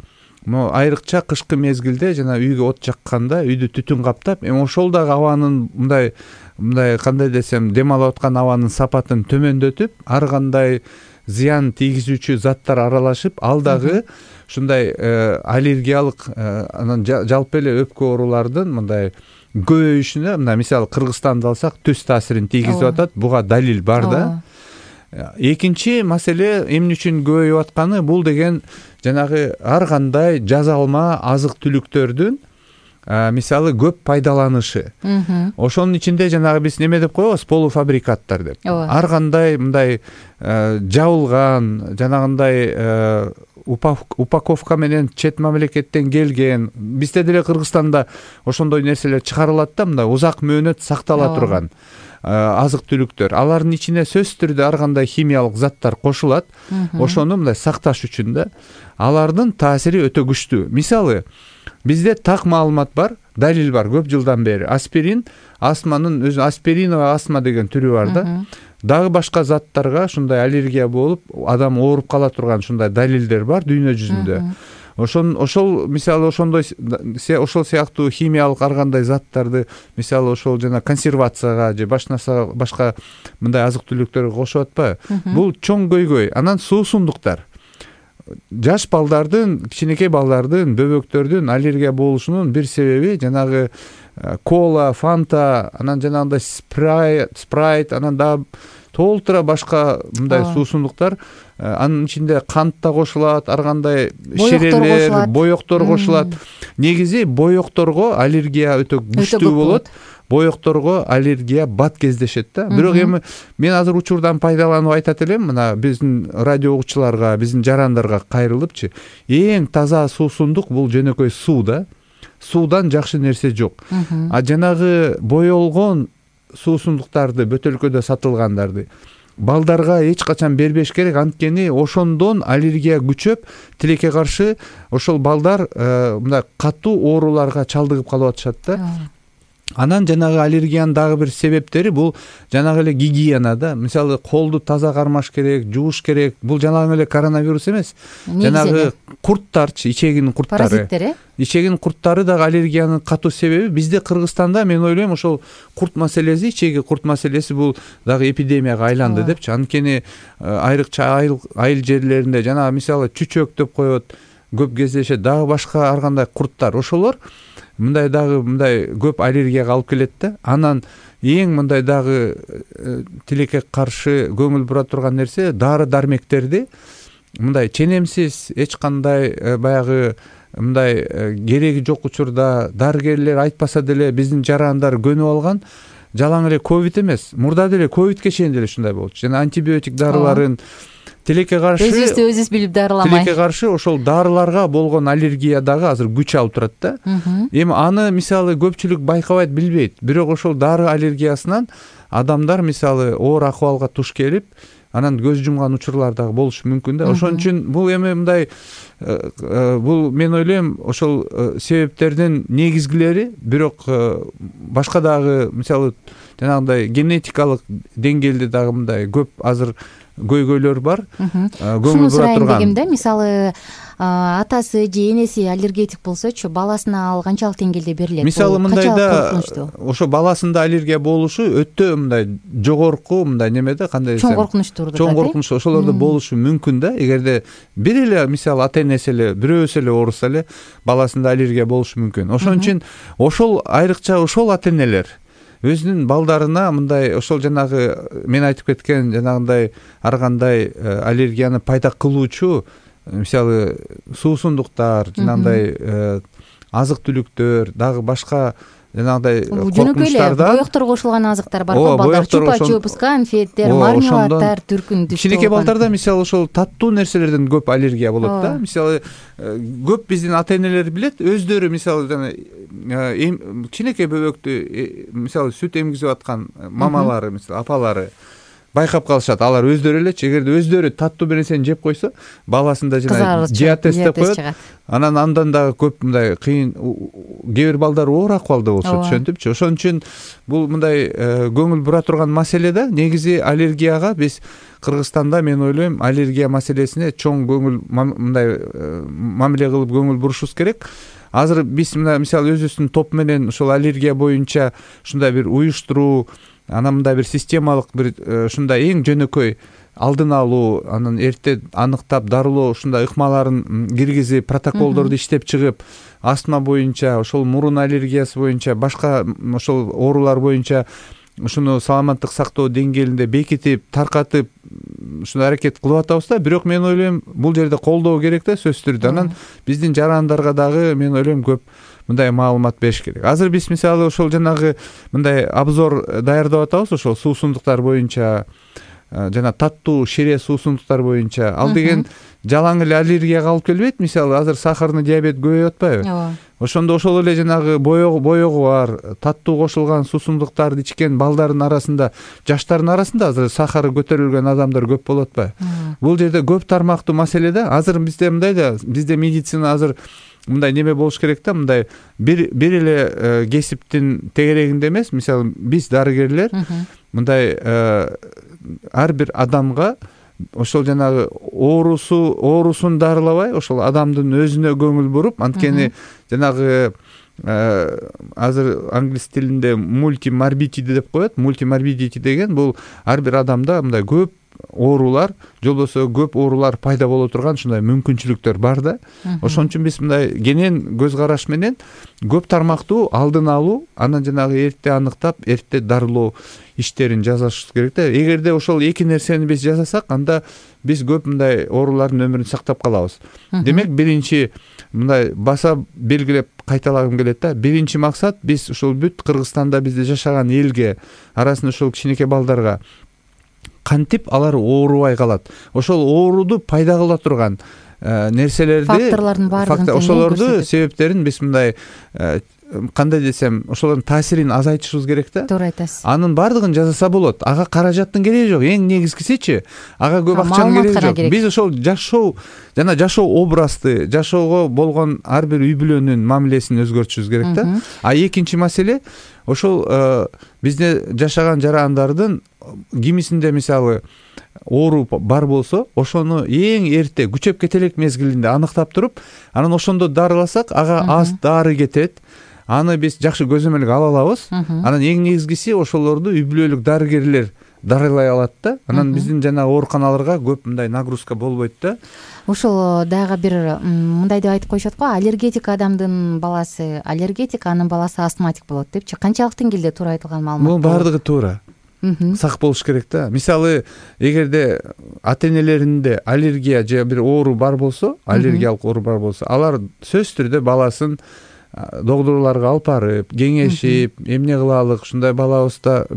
айрыкча кышкы мезгилде жана үйгө от жакканда үйдү түтүн каптап, ошол дагы абанын мындай кандай десем, дем алып аткан абанын сапатын төмөндөтүп, ар кандай зыян тийгизүүчү заттар аралашып, ал дагы ушундай аллергиялык, анан жалпы эле өпкө оорулардын мындай көбөйүшүнө, мына мисалы Кыргызстанды алсак, төс таасирин тийгизип атат. Буга далил бар да. Экинчи маселе эмне үчүн көбөйүп атканы, бул деген жанагы ар кандай жазалма азык түлүктөрдүн мисалы көп пайдаланышы. Ошонун ичинде жанагы биз неме деп коебуз, полуфабрикаттар деп. Ар кандай мындай жабылган, жанагындай упаковка менен чет мамлекеттен келген, бизде деле Кыргызстанда ошондой нерселер чыгарылат да, мындай узак мөөнөт сактала турган азык түлүктөр. Алардын ичине сөзсүз түрдө ар кандай химиялык заттар кошулат. Ошону мындай сакташ үчүн да. Алардын таасири өтө күчтүү. Мисалы, бизде так маалымат бар, далил бар көп жылдан бери. Аспирин, астманын өзү, аспириновая астма деген түрү бар да. Дагы башка заттарга ушундай аллергия болуп, адам ооруп кала турган ушундай далилдер бар дүйнө жүзүндө. Ошол мисалы ошондой ошол сыяктуу химиялык ар кандай заттарды, мисалы ошол жана консервацияга же башка мындай азык түлүктөргө кошуп атпайбы? Бул чоң көйгөй. Анан суусундуктар. Жаш балдардын, кичинекей балдардын, бөбөктөрдүн аллергия болушунун бир себеби жанагы кола, фанта, анан жанагындай спрайт, анан дагы толтура башка мындай суусундуктар. Анын ичинде кант да кошулат, ар кандай шерелер, боектор кошулат. Негизи боекторго аллергия өтө күчтүү болот. Боекторго аллергия бат кездешет да. Бирок эми мен азыр учурдан пайдаланып айтат элем, мына биздин радио угуучуларга, биздин жарандарга кайрылыпчы. Эң таза суусундук бул жөнөкөй суу да. Суудан жакшы нерсе жок. Жанагы боелгон суусундуктарды, бөтөлкөдө сатылгандарды балдарга эч качан бербеш керек, анткени ошондон аллергия күчөп, тилекке каршы ошол балдар мындай катуу ооруларга чалдыгып калып атышат да. Анан жанагы аллергиянын дагы бир себептери бул жанагы эле гигиена да. Мисалы, колду таза кармаш керек, жууш керек. Бул жанагы эле коронавирус эмес. Жанагы курттарчы, ичегинин курттары. Паразиттер, Ичегинин курттары дагы аллергиянын катуу себеби. Бизде Кыргызстанда мен ойлойм ошол курт маселеси, ичеги курт маселеси бул дагы эпидемияга айланды депчи. Анткени айрыкча айыл жерлеринде жанагы мисалы чүчөк деп коет, көп кездешет, дагы башка ар кандай курттар. Ошолор мындай дагы мындай көп аллергияга алып келет да. Анан эң мындай дагы тилекке каршы көңүл бура турган нерсе, дары дармектерди мындай ченемсиз, эч кандай баягы мындай кереги жок учурда дарыгерлер айтпаса деле биздин жарандар көнүп алган. Жалаң эле ковид эмес, мурда деле ковидке чейин деле ушундай болчу. Жана антибиотик дарыларын тилекке каршы өзүбүз билип дарыламай. Тилекке каршы ошол дарыларга болгон аллергия дагы азыр күч алып турат да. Эми аны мисалы көпчүлүк байкабайт, билбейт. Бирок ошол дары аллергиясынан адамдар мисалы оор акыбалга туш келип, анан көз жумган учурлар дагы болушу мүмкүн да. Ошон үчүн бул эми мындай бул мен ойлойм ошол себептердин негизгилери, бирок башка дагы мисалы жанагындай генетикалык деңгээлде дагы мындай көп азыр көйгөйлөр бар. Көңүл бура турган. Дегенде мисалы атасы же энеси аллергетик болсочу, баласына ал канчалык деңгээлде берилет? Мисалы мындайда ошо баласында аллергия болушу өтө мындай жогорку мындай немеде, кандай десем, чоң коркунучтуу. Чоң коркунуч ошолордо болушу мүмкүн да. Эгерде бир эле мисалы ата-энеси эле, бирөөсү эле ооруса эле баласында аллергия болушу мүмкүн. Ошон үчүн ошол айрыкча ошол ата-энелер өзүнүн балдарына мындай ошол жанагы мен айтып кеткен жанагындай ар кандай аллергияны пайда кылуучу мисалы суусундуктар, жанагындай азык түлүктөр, дагы башка жанагындай жөнөкөй эле боектор кошулган азыктар бар го, балдар чупа-чупс, конфеттер, мармеладдар, түркүн түштүү. Кичинекей балдарда мисалы ошол таттуу нерселерден көп аллергия болот да. Мисалы көп биздин ата-энелер билет, өздөрү мисалы жана кичинекей бөбөктү мисалы сүт эмгизип аткан мамалары, мисалы апалары байкап калышат. Алар өздөрү элечи, эгерде өздөрү таттуу бир нерсени жеп койсо, баласында жана диатез деп коет. Андан дагы көп мындай кыйын, кээ бир балдар оор акыбалда болушат, түшүнтүпчү. Ошон үчүн бул мындай көңүл бура турган маселе да. Негизи аллергияга биз Кыргызстанда, мен ойлойм, аллергия маселесине чоң көңүл мындай мамиле кылып көңүл бурушубуз керек. Азыр биз мисалы өзүбүздүн топ менен ошол аллергия боюнча ушундай бир уюштуруу, анан мындай бир системалык бир ушундай эң жөнөкөй алдын алуу, анан эрте аныктап дарылоо ушундай ыкмаларын киргизип, протоколдорду иштеп чыгып, астма боюнча, ошол мурун аллергиясы боюнча, башка ошол оорулар боюнча ушуну саламаттык сактоо деңгээлинде бекитип, таркатып, ушуну аракет кылып атабыз да. Бирок мен ойлойм, бул жерде колдоо керек да, сөзсүз түрдө. Анан биздин жарандарга дагы мен ойлойм көп мындай маалымат бериш керек. Азыр биз мисалы ошол жанагы мындай обзор даярдап атабыз, ошол суусундуктар боюнча, жана таттуу шире суусундуктар боюнча. Ал деген жалаң эле аллергияга алып келбейт. Мисалы азыр сахарный диабет көбөйүп атпайбы? Ооба. Ошондо ошол эле жанагы боегу бар, таттуу кошулган суусундуктарды ичкен балдардын арасында, жаштардын арасында азыр сахары көтөрүлгөн адамдар көп болуп атпайбы? Бул жерде көп тармактуу маселе да. Азыр бизде мындай да, бизде медицина азыр мындай неме болуш керек да, мындай бир эле кесиптин тегерегинде эмес. Мисалы биз дарыгерлер мындай ар бир адамга ошол жанагы оорусун дарылабай, ошол адамдын өзүнө көңүл буруп, анткени жанагы азыр англис тилинде мультиморбидити деп коет. Мультиморбидити деген бул ар бир адамда мындай көп оорулар, же болбосо көп оорулар пайда боло турган ушундай мүмкүнчүлүктөр бар да. Ошон үчүн биз мындай кенен көз караш менен көп тармактуу алдын алуу, анан жанагы эрте аныктап, эрте дарылоо иштерин жасашыбыз керек да. Эгерде ошол эки нерсени биз жасасак, анда биз көп мындай оорулардын өмүрүн сактап калабыз. Демек, биринчи мындай баса белгилеп кайталагым келет да. Биринчи максат биз ушул бүт Кыргызстанда бизде жашаган элге, арасында ошол кичинекей балдарга кантип алар оорубай калат, ошол ооруду пайда кыла турган нерселерди, факторлордун баардыгын ошолорду себептерин биз мындай кандай десем, ошолордун таасирин азайтышыбыз керек да. Туура айтасыз. Анын баардыгын жасаса болот. Ага каражаттын кереги жок. Эң негизгисичи, ага көп акчанын кереги жок. Биз ошол жашоо жана жашоо образды, жашоого болгон ар бир үй бүлөнүн мамилесин өзгөртүшүбүз керек да. А экинчи маселе, ошол бизде жашаган жарандардын кимисинде мисалы оору бар болсо, ошону эң эрте күчөп кете элек мезгилинде аныктап туруп, анан ошондо дарыласак, ага аз дары кетет. Аны биз жакшы көзөмөлгө ала алабыз. Анан эң негизгиси ошолорду үй бүлөлүк дарыгерлер дарылай алат да. Анан биздин жана ооруканаларга көп мындай нагрузка болбойт да. Ошол дагы бир мындай деп айтып коюшат го, аллергетик адамдын баласы аллергетик, анын баласы астматик болот депчи. Канчалык деңгээлде туура айтылган маалымат? Бул баардыгы туура. Сак болуш керек да. Мисалы, эгерде ата-энелеринде аллергия же бир оору бар болсо, аллергиялык оору бар болсо, алар сөзсүз түрдө баласын докторлорго алып барып, кеңешип, эмне кылалык, ушундай балабызда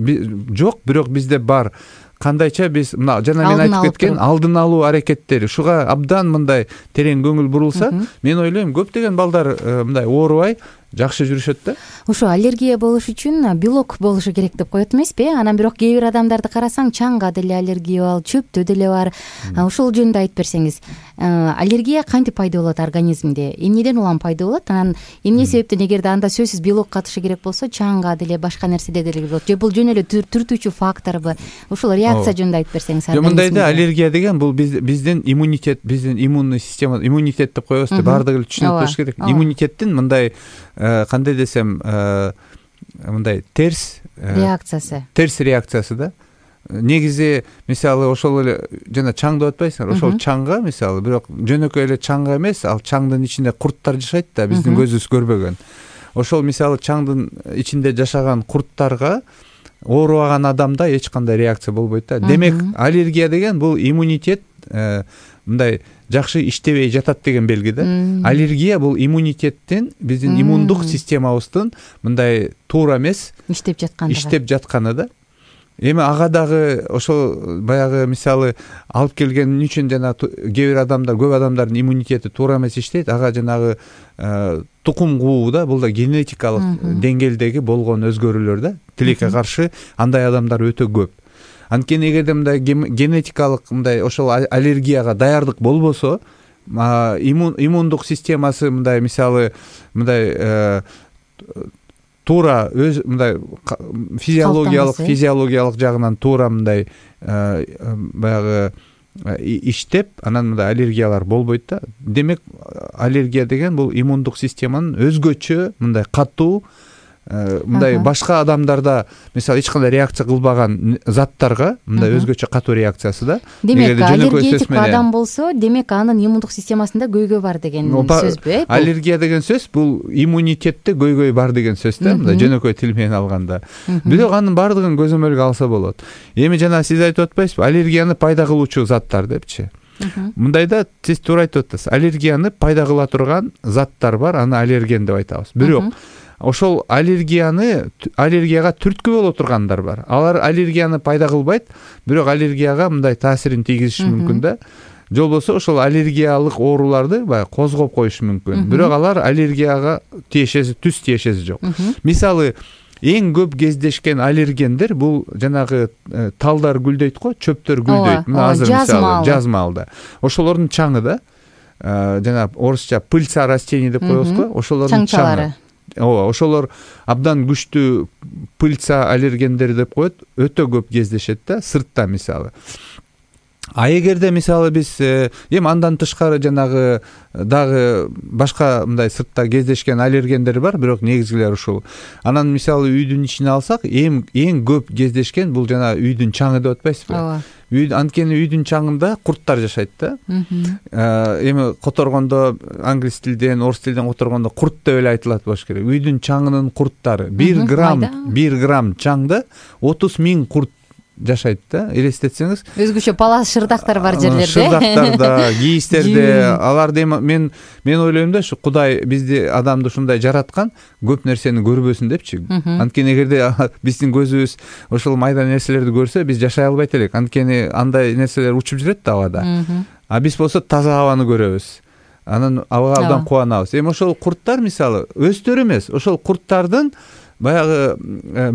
жок, бирок бизде бар. Кандайча биз мына жана мен айтып кеткен алдын алуу аракеттери, ушуга абдан мындай терең көңүл бурулса, мен ойлойм көптөгөн балдар мындай оорубай жакшы жүрүшөт да. Ошо аллергия болуш үчүн белок болушу керек деп коет эмеспи? Анан бирок кээ бир адамдарды карасаң, чаңга деле аллергия бар, чөптө деле бар. Ошол жөнүндө айтып берсеңиз, аллергия кантип пайда болот организмде? Эмнеден улам пайда болот? Анан эмне себептен, эгерде анда сөзсүз белок катышы керек болсо, чаңга деле башка нерседе деле болот? Же бул жөн эле түртүүчү факторбу? Ушул реакция жөнүндө айтып берсеңиз. Мындай да, аллергия деген бул биздин иммунитет, биздин иммунный система, иммунитет деп коебуз да, баардыгы түшүнүп болуш керек. Иммунитеттин мындай кандай десем, мындай терс реакциясы да. Негизи мисалы ошол эле жана чаң деп атпайсыңар, ошол чаңга мисалы, бирок жөнөкөй эле чаңга эмес, ал чаңдын ичинде курттар жашайт да, биздин көзүбүз көрбөгөн. Ошол мисалы чаңдын ичинде жашаган курттарга оорубаган адамда эч кандай реакция болбойт да. Демек, аллергия деген бул иммунитет мындай жакшы иштебей жатат деген белги да. Аллергия бул иммунитеттин, биздин иммундук системабыздын мындай туура эмес иштеп жатканы да. Эми ага дагы ошол баягы мисалы алып келген үчүн жана кээ бир адамдар, көп адамдардын иммунитети туура эмес иштейт. Ага жанагы тукум куу да, бул да генетикалык деңгээлдеги болгон өзгөрүүлөр да. Тилекке каршы андай адамдар өтө көп. Анткени эгерде мындай генетикалык мындай ошол аллергияга даярдык болбосо, иммундук системасы мындай мисалы мындай туура өз мындай физиологиялык жагынан туура мындай баягы иштеп, анан мындай аллергиялар болбойт да. Демек аллергия деген бул иммундук системанын өзгөчө мындай катуу мындай башка адамдарда мисалы эч кандай реакция кылбаган заттарга мындай өзгөчө катуу реакциясы да. Демек аллергетик адам болсо, демек анын иммундук системасында көйгөй бар деген сөзбү? Аллергия деген сөз бул иммунитетте көйгөй бар деген сөз да, мындай жөнөкөй тил менен алганда. Бирок анын баардыгын көзөмөлгө алса болот. Эми жана сиз айтып атпайсызбы, аллергияны пайда кылуучу заттар депчи. Мындайда сиз туура айтып атасыз. Аллергияны пайда кыла турган заттар бар, аны аллерген деп айтабыз. Бирок ошол аллергияга түрткү боло тургандар бар. Алар аллергияны пайда кылбайт, бирок аллергияга мындай таасирин тийгизиши мүмкүн да. Же болбосо ошол аллергиялык ооруларды баягы козгоп коюшу мүмкүн. Бирок алар аллергияга түз тиешеси жок. Мисалы, эң көп кездешкен аллергендер бул жанагы талдар гүлдөйт го, чөптөр гүлдөйт. Мына азыр мисалы жаз маалда. Ошолордун чаңы да, жана орусча пыльца растений деп коебуз го, ошолордун чаңы. Ошолор абдан күчтүү пыльца аллергендери деп коет, өтө көп кездешет да, сыртта мисалы. А эгерде мисалы биз эми андан тышкары жанагы дагы башка мындай сыртта кездешкен аллергендер бар, бирок негизгилери ушул. Анан мисалы үйдүн ичине алсак, эң көп кездешкен бул жана үйдүн чаңы деп атпайсызбы? Ооба. Анткени үйдүн чаңында курттар жашайт да. Эми которгондо англис тилден, орус тилден которгондо курт деп эле айтылат болуш керек. Үйдүн чаңынын курттары 1 грамм чаңда 30 000 курт жашайт да. Элестетсеңиз, өзгөчө палас шырдактар бар жерлерде. Шырдактарда, кийистерде, аларды мен ойлойм да, ушу Кудай бизди, адамды ушундай жараткан, көп нерсени көрбөсүн депчи. Анткени эгерде биздин көзүбүз ошол майда нерселерди көрсө, биз жашай албайт элек. Анткени андай нерселер учуп жүрөт да абада. А биз болсо таза абаны көрөбүз. Анан абага абдан кубанабыз. Эми ошол курттар мисалы өздөрү эмес, ошол курттардын баягы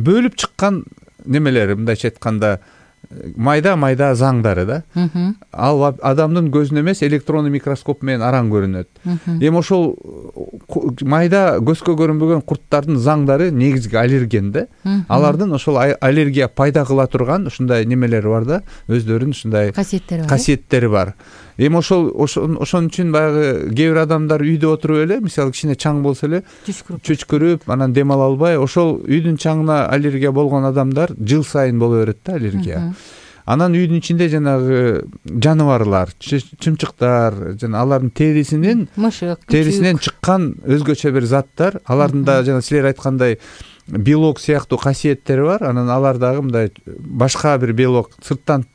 бөлүп чыккан немелери, мындайча айтканда майда заңдары да. Ал адамдын көзүнө эмес, электрондуу микроскоп менен араң көрүнөт. Эми ошол майда көзгө көрүнбөгөн курттардын заңдары негизги аллерген да. Алардын ошол аллергия пайда кыла турган ушундай немелери бар да, өздөрүнүн ушундай касиеттери бар. Эми ошон үчүн баягы кээ бир адамдар үйдө отуруп эле, мисалы кичине чаң болсо эле чүчкүрүп, анан дем ала албай, ошол үйдүн чаңына аллергия болгон адамдар жыл сайын боло берет да аллергия. Анан үйдүн ичинде жанагы жаныбарлар, чымчыктар, жана алардын терисинен чыккан өзгөчө бир заттар, алардын да жана силер айткандай белок сыяктуу касиеттери бар. Анан алар дагы мындай башка бир белок сырттан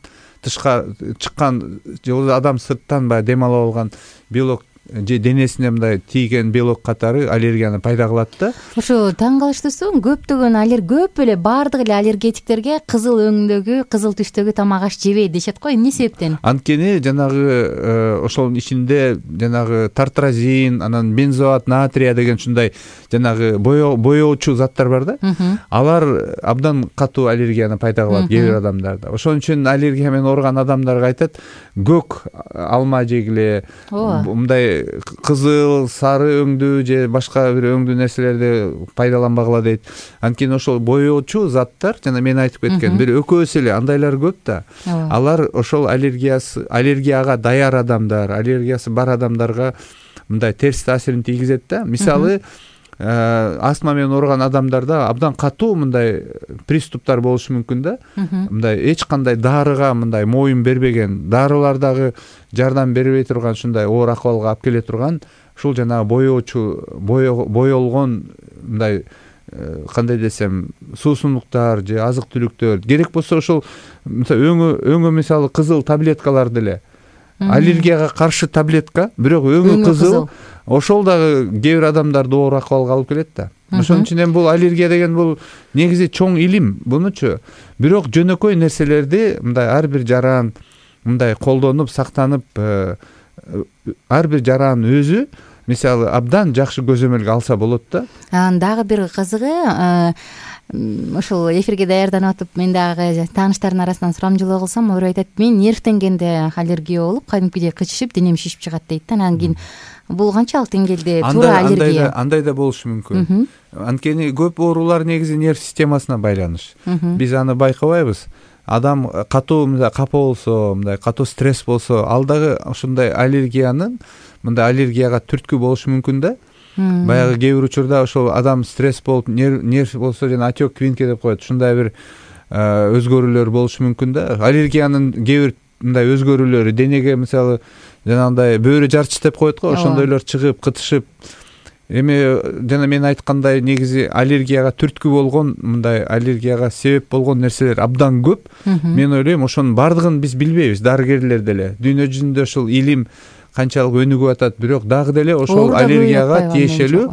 тышка чыккан, же адам сырттан баягы дем ала алган белок же денесине мындай тийген белок катары аллергияны пайда кылат да. Ошо таң калыштуусу, көп эле баардык эле аллергетиктерге кызыл өңдөгү, кызыл түстөгү тамак аш жебейт дешет го. Эмне себептен? Анткени жанагы ошонун ичинде жанагы тартразин, анан бензоат натрия деген ушундай жанагы боёочу заттар бар да. Алар абдан катуу аллергияны пайда кылат кээ бир адамдарда. Ошон үчүн аллергия менен ооруган адамдарга айтат, көк алма жегиле, мындай кызыл, сары өңдүү же башка бир өңдүү нерселерди пайдаланбагыла дейт. Анткени ошол боёочу заттар, жана мен айтып кеткен бир экөөсү эле андайлар көп да. Алар ошол аллергияга даяр адамдар, аллергиясы бар адамдарга мындай терс таасирин тийгизет да. Мисалы, астма менен ооруган адамдарда абдан катуу мындай приступтар болушу мүмкүн да. Мындай эч кандай дарыга мындай моюн бербеген, дарылар дагы жардам бербей турган ушундай оор акыбалга алып келе турган ушул жанагы боёочу, боёлгон мындай кандай десем, суусундуктар же азык түлүктөр керек болсо ошол өңү мисалы кызыл таблеткаларды эле аллергияга каршы таблетка, бирок өңү кызыл, ошол дагы кээ бир адамдарды оор акыбалга алып келет да. Ошон үчүн эми бул аллергия деген бул негизи чоң илим бунучу. Бирок жөнөкөй нерселерди мындай ар бир жаран мындай колдонуп, сактанып, ар бир жаран өзү мисалы абдан жакшы көзөмөлгө алса болот да. Анан дагы бир кызыгы, ушул эфирге даярданып атып, мен дагы тааныштардын арасынан сурамжылоо кылсам, алар айтат, мен нервтенгенде аллергия болуп, кадимкидей кычышып, денем шишип чыгат дейт да. Анан кийин бул канчалык деңгээлде туура аллергия? Андай да болушу мүмкүн. Анткени көп оорулар негизи нерв системасына байланыш. Биз аны байкабайбыз. Адам катуу капа болсо, мындай катуу стресс болсо, ал дагы ушундай аллергиянын, мындай аллергияга түрткү болушу мүмкүн да. Баягы кээ бир учурда ошол адам стресс болуп, нерв болсо жана отек квинке деп коет. Ушундай бир өзгөрүүлөр болушу мүмкүн да. Аллергиянын кээ бир мындай өзгөрүүлөрү денеге мисалы жанагындай бөөрө жарчы деп коет го, ошондойлор чыгып, кытышып. Эми жана мен айткандай негизи аллергияга түрткү болгон, мындай аллергияга себеп болгон нерселер абдан көп. Мен ойлойм, ошонун бардыгын биз билбейбиз, дарыгерлер деле. Дүйнө жүзүндө ушул илим канчалык өнүгүп атат, бирок дагы деле ошол аллергияга тиешелүү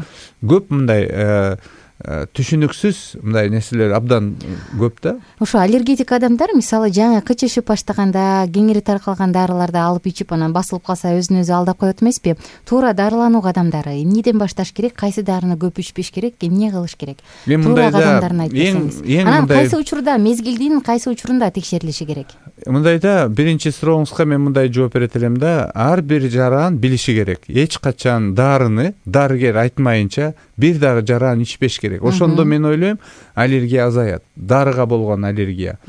көп мындай түшүнүксүз мындай нерселер абдан көп да. Ошо аллергетик адамдар мисалы жаңы кычышып баштаганда, кеңири таркалган дарыларды алып ичип, анан басылып калса өзүн өзү алдап коет эмеспи? Туура дарылануу адамдары эмнеден башташ керек? Кайсы дарыны көп ичпеш керек? Эмне кылыш керек? Туура адамдарын айтып берсеңиз. Анан кайсы учурда, мезгилдин кайсы учурунда текшерилиши керек? Мындай да, биринчи сурооңузга мен мындай жооп берет элем да, ар бир жаран билиши керек. Эч качан дарыны дарыгер айтмайынча бир дагы жаран ичпеш керек. Ошондо мен ойлойм, аллергия азаят. Дарыга болгон аллергия.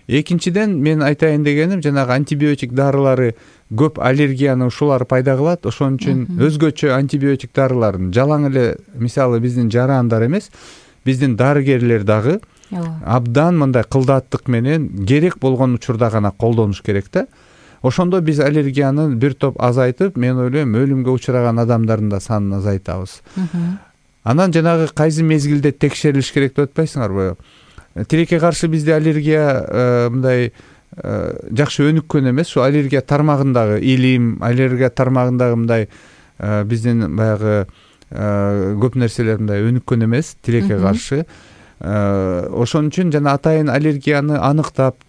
Экинчиден мен айтайын дегеним, жанагы антибиотик дарылары көп аллергияны ушулар пайда кылат. Ошон үчүн өзгөчө антибиотик дарыларын жалаң эле мисалы биздин жарандар эмес, биздин дарыгерлер дагы абдан мындай кылдаттык менен керек болгон учурда гана колдонуш керек да. Ошондо биз аллергияны бир топ азайтып, мен ойлойм, өлүмгө учураган адамдардын да санын азайтабыз. Анан жанагы кайсы мезгилде текшерилиш керек деп атпайсыңарбы? Тилекке каршы бизде аллергия мындай жакшы өнүккөн эмес. Ошо аллергия тармагындагы илим, аллергия тармагындагы мындай биздин баягы көп нерселер мындай өнүккөн эмес тилекке каршы. Ошон үчүн жана атайын аллергияны аныктап,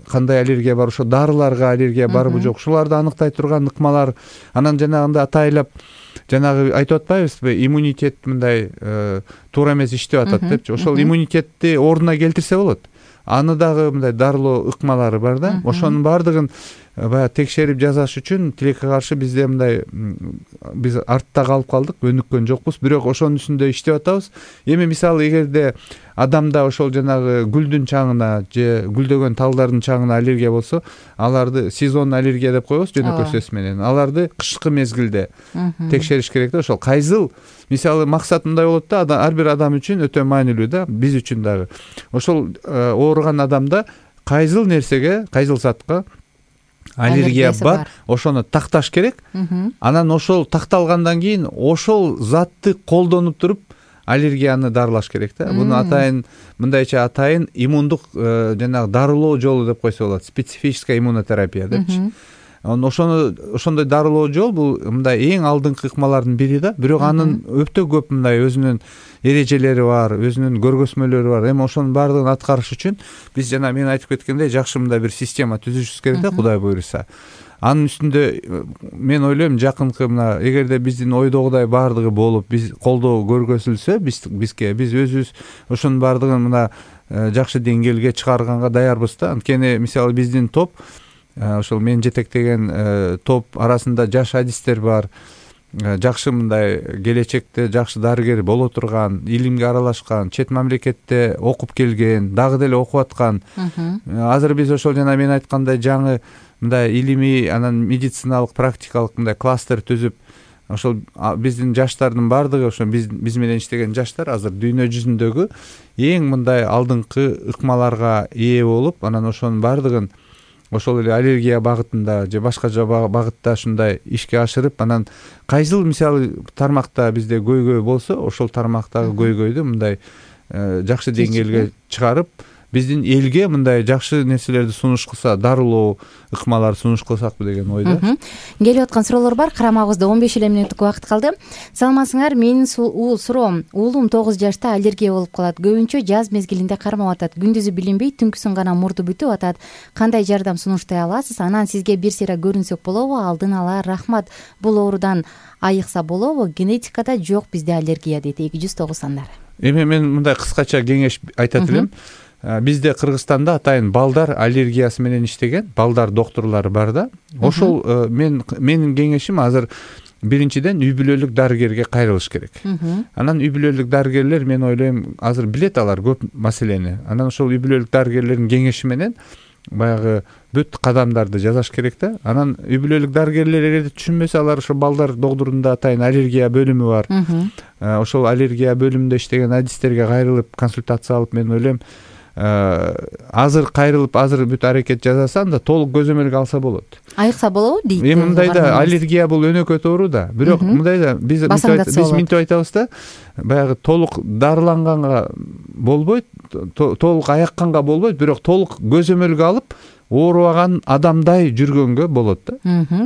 кандай аллергия бар, ошо дарыларга аллергия барбы жок, ушуларды аныктай турган ыкмалар, анан жанагындай атайлап жанагы айтып атпайбызбы, иммунитет мындай туура эмес иштеп атат депчи. Ошол иммунитетти ордуна келтирсе болот. Аны дагы мындай дарылоо ыкмалары бар да. Ошонун бардыгын баягы текшерип жасаш үчүн тилекке каршы бизде мындай биз артта калып калдык, өнүккөн жокпуз, бирок ошонун үстүндө иштеп атабыз. Эми мисалы эгерде адамда ошол жанагы гүлдүн чаңына же гүлдөгөн талдардын чаңына аллергия болсо, аларды сезон аллергия деп коебуз жөнөкөй сөз менен. Аларды кышкы мезгилде текшериш керек да. Ошол кайсыл мисалы максат мындай болот да, ар бир адам үчүн өтө маанилүү да, биз үчүн дагы. Ошол ооруган адамда кайсыл нерсеге, кайсыл затка аллергия бар, ошону такташ керек. Анан ошол такталгандан кийин ошол затты колдонуп туруп аллергияны дарылаш керек да. Буну атайын мындайча атайын иммундук жанагы дарылоо жолу деп койсо болот. Специфическая иммунотерапия депчи. Ошондой дарылоо жол бул мындай эң алдыңкы ыкмалардын бири да. Бирок анын өтө көп мындай өзүнүн эрежелери бар, өзүнүн көргөзмөлөрү бар. Эми ошонун баардыгын аткарыш үчүн биз жана мен айтып кеткендей жакшы мындай бир система түзүшүбүз керек да, Кудай буйруса. Анын үстүндө мен ойлойм, жакынкы мына эгерде биздин ойдогудай баардыгы болуп, биз колдоо көргөзүлсө, биз өзүбүз ошонун баардыгын мына жакшы деңгээлге чыгарганга даярбыз да. Анткени мисалы биздин топ, ошол мен жетектеген топ арасында жаш адистер бар, жакшы мындай келечекте жакшы дарыгер боло турган, илимге аралашкан, чет мамлекетте окуп келген, дагы деле окуп аткан. Азыр биз ошол жана мен айткандай жаңы мындай илимий, анан медициналык, практикалык мындай кластер түзүп, ошол биздин жаштардын баардыгы, ошо биз менен иштеген жаштар азыр дүйнө жүзүндөгү эң мындай алдыңкы ыкмаларга ээ болуп, анан ошонун баардыгын ошол эле аллергия багытында же башка багытта ушундай ишке ашырып, анан кайсыл мисалы тармакта бизде көйгөй болсо, ошол тармактагы көйгөйдү мындай жакшы деңгээлге чыгарып, биздин элге мындай жакшы нерселерди сунуш кылса, дарылоо ыкмаларды сунуш кылсакпы деген ойдо. Келип аткан суроолор бар. Карамагыбызда 15 эле мүнөттүк убакыт калды. Саламатсыңар? Менин суроом: уулум 9 жашта аллергия болуп калат. Көбүнчө жаз мезгилинде кармап атат. Күндүзү билинбей, түнкүсүн гана мурду бүтүп атат. Кандай жардам сунуштай аласыз? Анан сизге бир сыйра көрүнсөк болобу? Алдын ала рахмат. Бул оорудан айыкса болобу? Генетикада жок бизде аллергия дейт 209 сандар. Эми мен мындай кыскача кеңеш айтат элем. Бизде Кыргызстанда атайын балдар аллергиясы менен иштеген балдар доктурлары бар да. Ошол менин кеңешим азыр биринчиден үй бүлөлүк дарыгерге кайрылыш керек. Анан үй бүлөлүк дарыгерлер, мен ойлойм, азыр билет алар көп маселени. Анан ошол үй бүлөлүк дарыгерлердин кеңеши менен баягы бүт кадамдарды жасаш керек да. Анан үй бүлөлүк дарыгерлер эгерде түшүнбөсө, алар ошо балдар доктурунда атайын аллергия бөлүмү бар. Ошол аллергия бөлүмүндө иштеген адистерге кайрылып консультация алып, мен ойлойм, азыр кайрылып, азыр бүт аракет жасаса, анда толук көзөмөлгө алса болот. Айыкса болобу дейт. Эми мындайда аллергия бул өнөкөт оору да. Бирок мындайда биз минтип айтабыз да, баягы толук дарыланганга болбойт, толук аякканга болбойт, бирок толук көзөмөлгө алып оорубаган адамдай жүргөнгө болот да.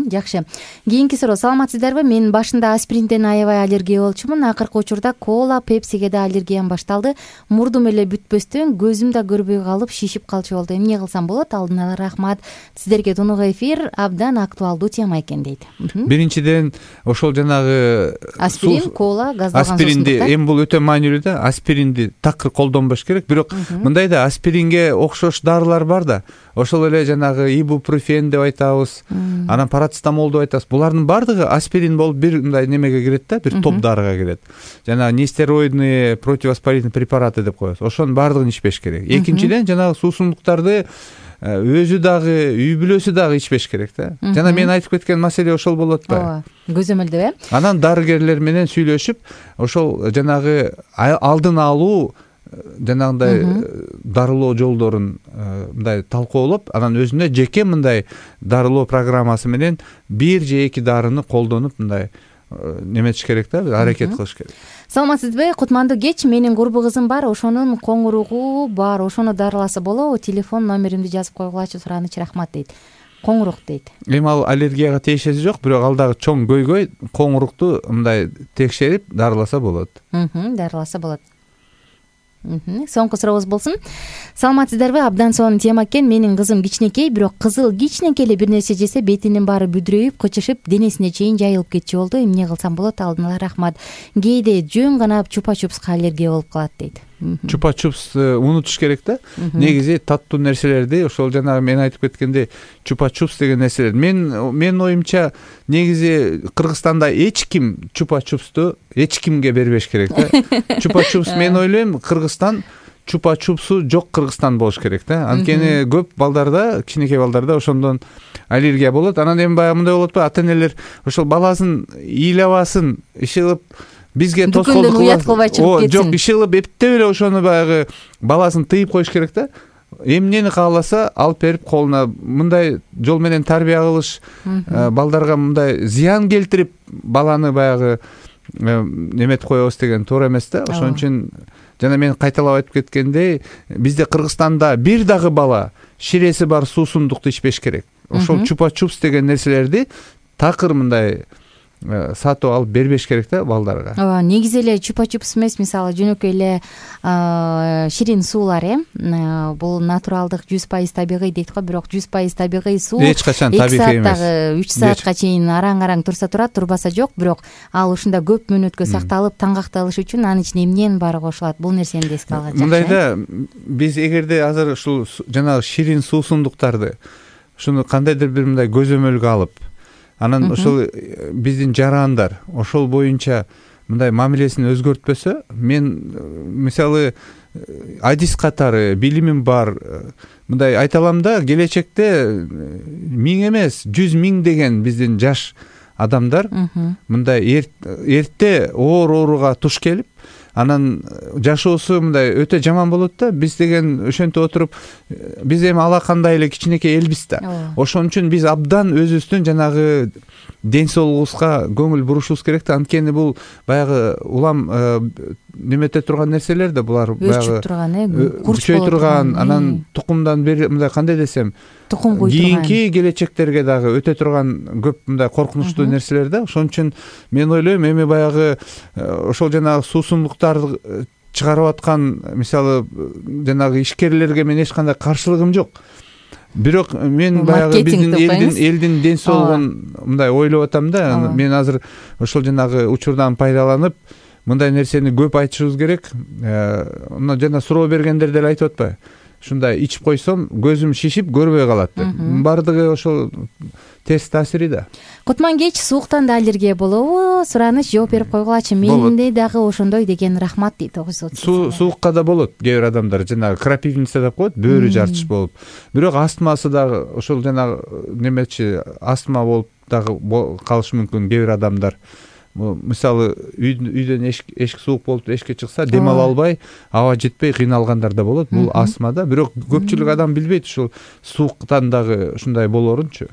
Жакшы. Кийинки суроо: саламатсыздарбы? Мен башында аспиринден аябай аллергия болчумун. Акыркы учурда кола, пепсиге да аллергиям башталды. Мурдум эле бүтпөстөн көзүм да көрбөй калып, шишип калчу болду. Эмне кылсам болот? Алдын ала рахмат. Сиздерге тунук эфир абдан актуалдуу тема экен дейт. Биринчиден ошол жанагы аспирин, кола, газдалган аспиринди, эми бул өтө маанилүү да. Аспиринди такыр колдонбош керек. Бирок мындайда аспиринге окшош дарылар бар да. Ошол эле жанагы ибупрофен деп айтабыз, анан парацетамол деп айтабыз. Булардын баардыгы аспирин болуп бир мындай немеге кирет да, бир топ дарыга кирет. Жанагы нестероидный противовоспалительный препараты деп коебуз. Ошонун баардыгын ичпеш керек. Экинчиден жанагы суусундуктарды өзү дагы, үй бүлөсү дагы ичпеш керек да. Жана мен айтып кеткен маселе ошол болот да. Ооба, көзөмөлдөп, Анан дарыгерлер менен сүйлөшүп, ошол жанагы алдын алуу жанагындай дарылоо жолдорун мындай талкуулап, анан өзүнө жеке мындай дарылоо программасы менен бир же эки дарыны колдонуп мындай неметиш керек да, аракет кылыш керек. Саламатсызбы? Кутмандуу кеч. Менин курбу кызым бар, ошонун коңуругу бар. Ошону дарыласа болобу? Телефон номеримди жазып койгулачы, сураныч, рахмат дейт. Коңурук дейт. Эми ал аллергияга тиешеси жок, бирок ал дагы чоң көйгөй, коңурукту мындай текшерип дарыласа болот. Дарыласа болот. Соңку сурообуз болсун. Саламатсыздарбы? Абдан сонун тема экен. Менин кызым кичинекей, бирок кызыл кичинекей эле бир нерсе жесе бетинин баары бүдүрөйүп, кычышып, денесине чейин жайылып кетчү болду. Эмне кылсам болот? Алдын ала рахмат. Кээде жөн гана чупа-чупска аллергия болуп калат дейт. Чупа-чупс унутуш керек да. Негизи таттуу нерселерди, ошол жанагы мен айтып кеткендей, чупа-чупс деген нерселер. Мен оюмча негизи Кыргызстанда эч ким чупа-чупсту эч кимге бербеш керек да. Чупа-чупс, мен ойлойм, Кыргызстан чупа-чупсу жок Кыргызстан болуш керек да. Анткени көп балдарда, кичинекей балдарда ошондон аллергия болот. Анан эми баягы мындай болот ба, ата-энелер ошол баласын ыйлабасын, ишылып бизге тоскоолдук кылбайт. Жок, ишылып эптеп эле ошону баягы баласын тыйып коюш керек да. Эмнени кааласа алып берип колуна мындай жол менен тарбия кылыш, балдарга мындай зыян келтирип баланы баягы неметип коебуз деген туура эмес да. Ошон үчүн жана мен кайталап айтып кеткендей, бизде Кыргызстанда бир дагы бала ширеси бар суусундукту ичпеш керек. Ошол чупа-чупс деген нерселерди такыр мындай сатып алып бербеш керек да балдарга. Ооба, негизи эле чупа-чупс эмес, мисалы жөнөкөй эле ширин суулар, бул натуралдык 100% табигый дейт го, бирок 100% табигый суу эч качан табигый эмес. 3 саатка чейин араң-араң турса турат, турбаса жок, бирок ал ушунда көп мөөнөткө сакталып, таңгакталыш үчүн анын ичине эмненин баары кошулат. Бул нерсени да эске алган жакшы. Мындайда биз эгерде азыр ушул жанагы ширин суусундуктарды ушуну кандайдыр бир мындай көзөмөлгө алып, анан ошол биздин жарандар ошол боюнча мындай мамилесин өзгөртпөсө, мен мисалы адис катары билимим бар, мындай айта алам да, келечекте 1000 эмес 100 000 деген биздин жаш адамдар мындай эрте оор ооруга туш келип, анан жашоосу мындай өтө жаман болот да. Биз деген ошентип отуруп, биз эми алакандай эле кичинекей элбиз да. Ошон үчүн биз абдан өзүбүздүн жанагы ден соолугубузга көңүл бурушубуз керек да. Анткени бул баягы улам немете турган нерселер да, булар баягы күчөй турган, анан тукумдан бери мындай кандай десем, тукум кой турган, кийинки келечектерге дагы өтө турган көп мындай коркунучтуу нерселер да. Ошон үчүн мен ойлойм, эми баягы ошол жанагы суусундуктарды чыгарып аткан мисалы жанагы ишкерлерге мен эч кандай каршылыгым жок. Бирок мен баягы биздин элдин ден соолугун мындай ойлоп атам да. Мен азыр ошол жанагы учурдан пайдаланып мындай нерсени көп айтышыбыз керек. Мына жана суроо бергендер деле айтып атпайбы? Ушундай ичип койсом көзүм шишип көрбөй калат деп. Бардыгы ошол терс таасири да. Кутман кеч сууктан да аллергия болобу? Сураныч жооп берип койгулачы. Менде дагы ошондой деген, рахмат дейт Огузот. Суукка да болот. Кээ бир адамдар жанагы крапивница деп коет, бөөрү жарчыш болуп. Бирок астмасы дагы ошол жанагы немечи астма болуп дагы калышы мүмкүн кээ бир адамдар. Мисалы үйдөн эшик суук болуп эшикке чыкса дем ала албай, аба жетпей кыйналгандар да болот. Бул астма да. Бирок көпчүлүк адам билбейт ушул сууктан дагы ушундай болорунчу.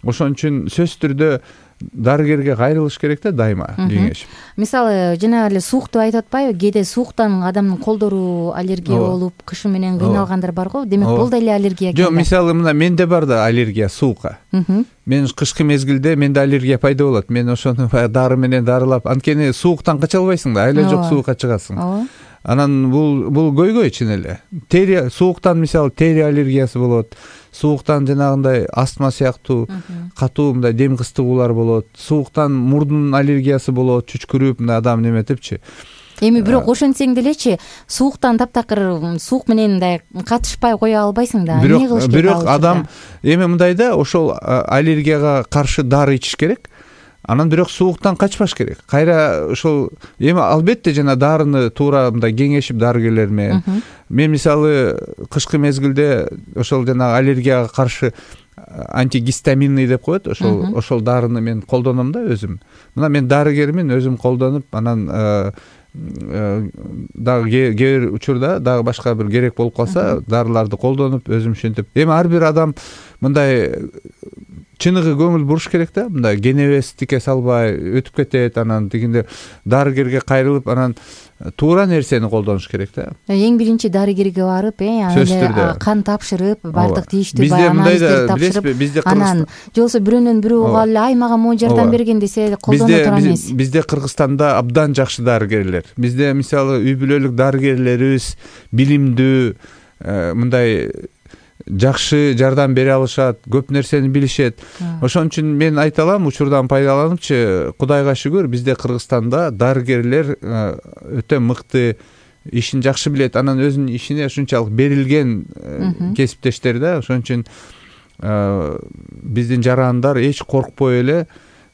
Ошон үчүн сөзсүз түрдө дарыгерге кайрылыш керек да дайыма кеңешип. Мисалы жана эле суукту айтып атпайбы? Кээде сууктан адамдын колдору аллергия болуп, кышы менен кыйналгандар бар го. Демек бул деле аллергия экен. Жок, мисалы мына менде бар да аллергия суукка. Мен кышкы мезгилде менде аллергия пайда болот. Мен ошону дары менен дарылап, анткени сууктан кача албайсың да, айла жок суукка чыгасың. Анан бул көйгөй чын эле. Тери сууктан мисалы тери аллергиясы болот. Сууктан жанагындай астма сыяктуу катуу мындай дем кыстыгуулар болот. Сууктан мурдун аллергиясы болот, чүчкүрүп мындай адам неметипчи. Эми бирок ошентсең делечи, сууктан таптакыр суук менен мындай катышпай кое албайсың да. Эмне кылыш керек? Бирок адам эми мындай да, ошол аллергияга каршы дары ичиш керек. Анан бирок сууктан качпаш керек. Кайра ошол эми албетте жана дарыны туура мындай кеңешип дарыгерлер менен. Мен мисалы кышкы мезгилде ошол жана аллергияга каршы антигистаминный деп коет, ошол дарыны мен колдоном да өзүм. Мына мен дарыгермин, өзүм колдонуп, анан дагы кээ бир учурда дагы башка бир керек болуп калса, дарыларды колдонуп өзүм ушинтип. Эми ар бир адам мындай чыныгы көңүл буруш керек да, мындай кенебестикке салбай өтүп кетет, анан дегенде дарыгерге кайрылып, анан туура нерсени колдонуш керек да. Эң биринчи дарыгерге барып, кан тапшырып, бардык тийиштүү анализдерди тапшырып, анан жолсо бирөөнөн бирөө угуп алып, ай мага могу жардам берген десе колдоно турган эмес. Бизде Кыргызстанда абдан жакшы дарыгерлер. Бизде мисалы үй бүлөлүк дарыгерлерибиз билимдүү, мындай жакшы жардам бере алышат, көп нерсени билишет. Ошон үчүн мен айта алам, учурдан пайдаланыпчы, Кудайга шүгүр, бизде Кыргызстанда дарыгерлер өтө мыкты, ишин жакшы билет, анан өзүнүн ишине ушунчалык берилген кесиптештер да. Ошон үчүн биздин жарандар эч коркпой эле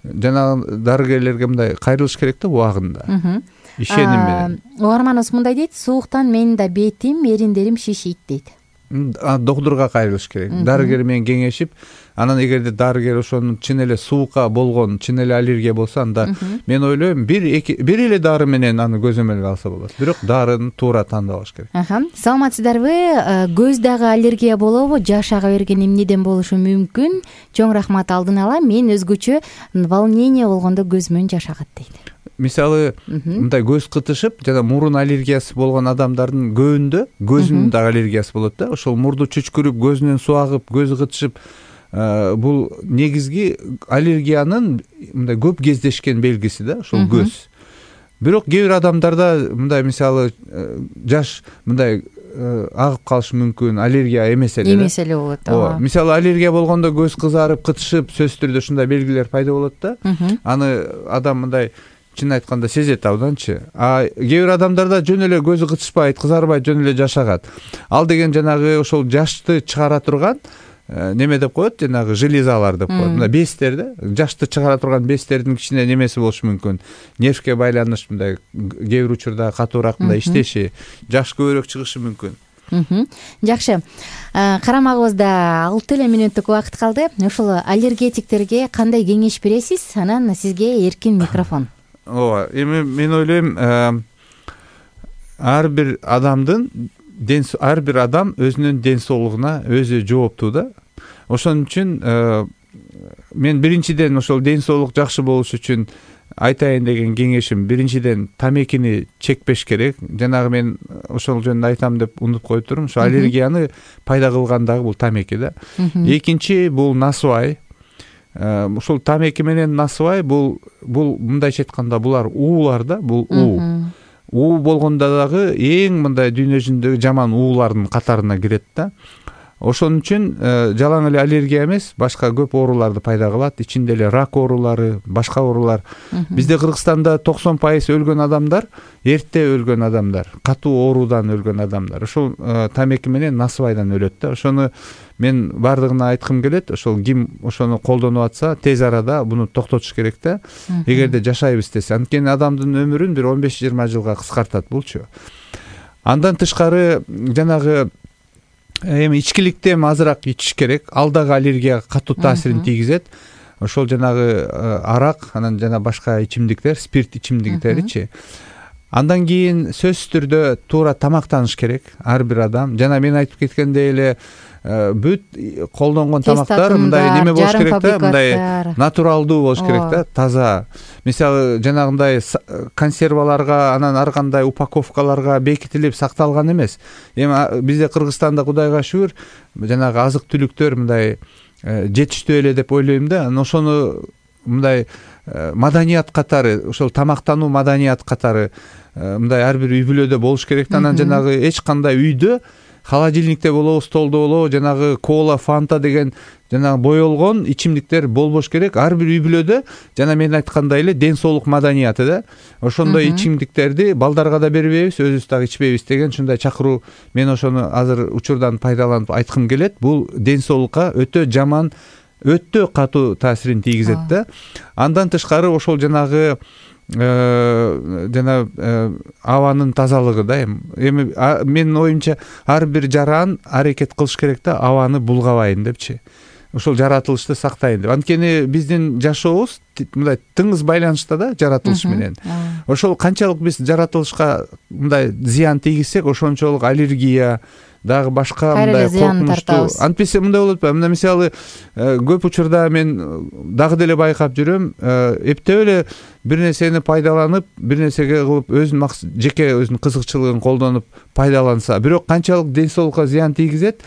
жанагы дарыгерлерге мындай кайрылыш керек да убагында. Ишеним менен. Угарманыбыз мындай дейт: сууктан менин да бетим, эриндерим шишийт дейт. Доктурга кайрылыш керек. Дарыгер менен кеңешип, анан эгерде дарыгер ошонун чын эле суукка болгон, чын эле аллергия болсо, анда мен ойлойм бир эле дары менен аны көзөмөлгө алса болот. Бирок дарыны туура тандап алыш керек. Саламатсыздарбы? Көз дагы аллергия болобу? Жаш ага берген эмнеден болушу мүмкүн? Чоң рахмат алдын ала. Мен өзгөчө волнение болгондо көзүмөн жаш агат дейт. Мисалы, мындай көз кытышып, жана мурун аллергиясы болгон адамдардын көбүндө көзүнүн дагы аллергиясы болот да. Ошол мурду чүчкүрүп, көзүнөн суу агып, көзү кытышып, бул негизги аллергиянын мындай көп кездешкен белгиси да, ошол көз. Бирок кээ бир адамдарда мындай мисалы жаш мындай агып калышы мүмкүн, аллергия эмес эле. Эмес эле болот. Мисалы аллергия болгондо көз кызарып, кытышып, сөзсүз түрдө ушундай белгилер пайда болот да. Аны адам мындай чын айтканда сезет абданчы. Кээ бир адамдарда жөн эле көзү кытышпайт, кызарбайт, жөн эле жаш агат. Ал деген жанагы ошол жашты чыгара турган неме деп коет, жанагы железалар деп коет. Мына бездер да, жашты чыгара турган бездердин кичине немеси болушу мүмкүн. Нервке байланыш мындай кээ бир учурда катуураак мындай иштеши, жаш көбүрөөк чыгышы мүмкүн. Жакшы. Карамагыбызда 6 эле мүнөттүк убакыт калды. Ошол аллергетиктерге кандай кеңеш бересиз? Анан сизге эркин микрофон. Эми мен ойлойм, ар бир адам өзүнүн ден соолугуна өзү жооптуу да. Ошон үчүн мен биринчиден ошол ден соолук жакшы болуш үчүн айтайын деген кеңешим, биринчиден тамекини чекпеш керек. Жанагы мен ошол жөнүндө айтам деп унутуп коюп турмун. Ошо аллергияны пайда кылган дагы бул тамеки да. Экинчи бул насыбай. Ушул тамеки менен насыбай бул мындайча айтканда булар уулар да, бул уу болгондо дагы эң мындай дүйнө жүзүндөгү жаман уулардын катарына кирет да. Ошон үчүн жалаң эле аллергия эмес, башка көп ооруларды пайда кылат. Ичинде эле рак оорулары, башка оорулар. Бизде Кыргызстанда 90% өлгөн адамдар эрте өлгөн адамдар, катуу оорудан өлгөн адамдар. Ошол тамеки менен насыбайдан өлөт да. Ошону мен бардыгына айткым келет. Ошол ким ошону колдонуп атса, тез арада буну токтотуш керек да. Эгерде жашайбыз десе, анткени адамдын өмүрүн бир 15-20 жылга кыскартат булчу. Андан тышкары жанагы эми ичкиликти азыраак ичиш керек. Ал дагы аллергияга катуу таасирин тийгизет. Ошол жанагы арак, анан жана башка ичимдиктер, спирт ичимдиктеричи. Андан кийин сөзсүз түрдө туура тамактаныш керек ар бир адам. Жана мен айтып кеткендей эле бүт колдонгон тамактар мындай неме болуш керек да, мындай натуралдуу болуш керек да, таза. Мисалы жанагындай консерваларга, анан ар кандай упаковкаларга бекитилип сакталган эмес. Эми бизде Кыргызстанда Кудайга шүгүр жанагы азык түлүктөр мындай жетиштүү эле деп ойлойм да. Анан ошону мындай маданият катары, ошол тамактануу маданият катары мындай ар бир үй бүлөдө болуш керек да. Анан жанагы эч кандай үйдө холодильникте болобу, столдо болобу, жанагы кола, фанта деген жанагы боелгон ичимдиктер болбош керек. Ар бир үй бүлөдө жана мен айткандай эле ден соолук маданияты да. Ошондой ичимдиктерди балдарга да бербейбиз, өзүбүз дагы ичпейбиз деген ушундай чакыруу мен ошону азыр учурдан пайдаланып айткым келет. Бул ден соолукка өтө жаман, өтө катуу таасирин тийгизет да. Андан тышкары ошол жанагы абанын тазалыгы да. Эми менин оюмча ар бир жаран аракет кылыш керек да, абаны булгабайын депчи. Ошол жаратылышты сактайын деп. Анткени биздин жашообуз мындай тыңыз байланышта да жаратылыш менен. Ошол канчалык биз жаратылышка мындай зыян тийгизсек, ошончолук аллергия дагы башка мындай коркунучтуу. Антпесе мындай болот ба? Мына мисалы көп учурда мен дагы деле байкап жүрөм, эптеп эле бир нерсени пайдаланып, бир нерсеге кылып өзүнүн жеке өзүнүн кызыкчылыгын колдонуп пайдаланса, бирок канчалык ден соолукка зыян тийгизет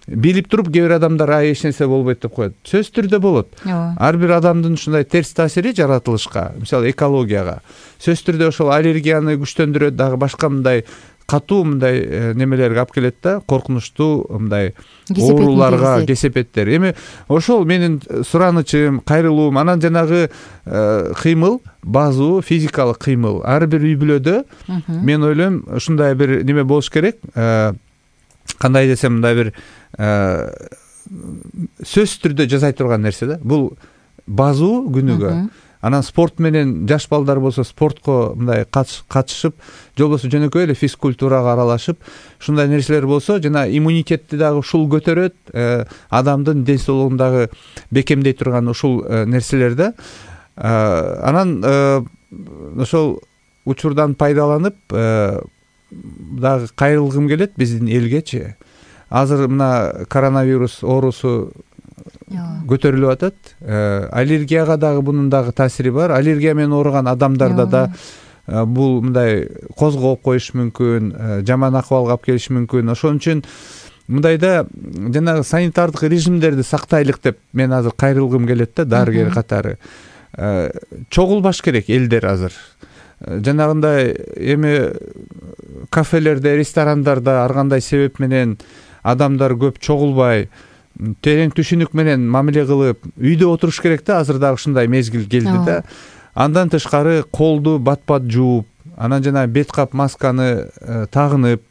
билип туруп кээ бир адамдар эч нерсе болбойт деп коет. Сөзсүз түрдө болот. Ар бир адамдын ушундай терс таасири жаратылышка, мисалы экологияга сөзсүз түрдө ошол аллергияны күчтөндүрөт, дагы башка мындай катуу мындай немелерге алып келет да, коркунучтуу мындай ооруларга, кесепеттер. Эми ошол менин суранычым, кайрылуум. Анан жанагы кыймыл, базуу физикалык кыймыл ар бир үй бүлөдө мен ойлойм ушундай бир неме болуш керек. Кандай десем, мындай бир сөзсүз түрдө жасай турган нерсе да. Бул базуу күнүгө. Анан спорт менен жаш балдар болсо спортко мындай катышып, же болбосо жөнөкөй эле физкультурага аралашып, ушундай нерселер болсо жана иммунитетти дагы ушул көтөрөт, адамдын ден соолугун дагы бекемдей турган ушул нерселер да. Анан ошол учурдан пайдаланып дагы кайрылгым келет биздин элгечи. Азыр мына коронавирус оорусу көтөрүлүп атат. Аллергияга дагы бунун дагы таасири бар. Аллергия менен ооруган адамдарда да бул мындай козгоп коюш мүмкүн, жаман акыбалга алып келиши мүмкүн. Ошон үчүн мындайда жанагы санитардык режимдерди сактайлык деп мен азыр кайрылгым келет да, дарыгер катары. Чогулбаш керек элдер азыр. Жанагындай эми кафелерде, ресторандарда ар кандай себеп менен адамдар көп чогулбай, терең түшүнүк менен мамиле кылып үйдө отуруш керек да. Азыр дагы ушундай мезгил келди да. Андан тышкары колду бат-бат жууп, анан жана бет кап масканы тагынып,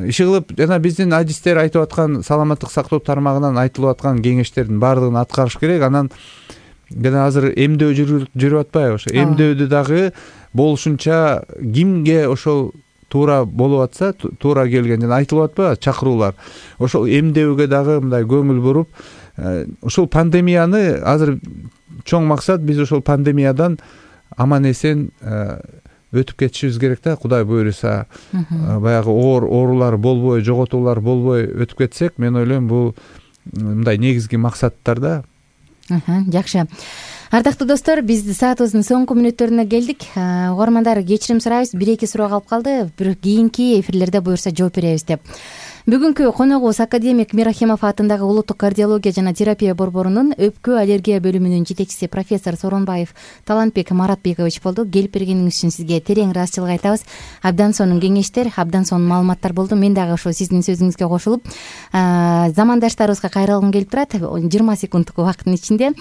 иши кылып, жана биздин адистер айтып аткан, саламаттык сактоо тармагынан айтылып аткан кеңештердин баардыгын аткарыш керек. Анан жана азыр эмдөө жүрүп атпайбы? Ошо эмдөөдү дагы болушунча кимге ошол туура болуп атса, туура келген жана айтылып атпайбы чакыруулар. Ошол эмдөөгө дагы мындай көңүл буруп, ушул пандемияны азыр чоң максат биз ошол пандемиядан аман эсен өтүп кетишибиз керек да. Кудай буюрса баягы оорулар болбой, жоготуулар болбой өтүп кетсек, мен ойлойм бул мындай негизги максаттар да. Жакшы. Ардактуу достор, биз саатыбыздын соңку мүнөттөрүнө келдик. Угармандар, кечирим сурайбыз, 1-2 суроо калып калды. Бирок кийинки эфирлерде буюрса жооп беребиз деп. Бүгүнкү коногубуз академик Мирахимов атындагы улуттук кардиология жана терапия борборунун өпкө аллергия бөлүмүнүн жетекчиси профессор Сооронбаев Талантбек Маратбекович болду. Келип бергениңиз үчүн сизге терең ыраазычылык айтабыз. Абдан сонун кеңештер, абдан сонун маалыматтар болду. Мен дагы ошо сиздин сөзүңүзгө кошулуп, замандаштарыбызга кайрылгым келип турат. 20 секундтук убакыттын ичинде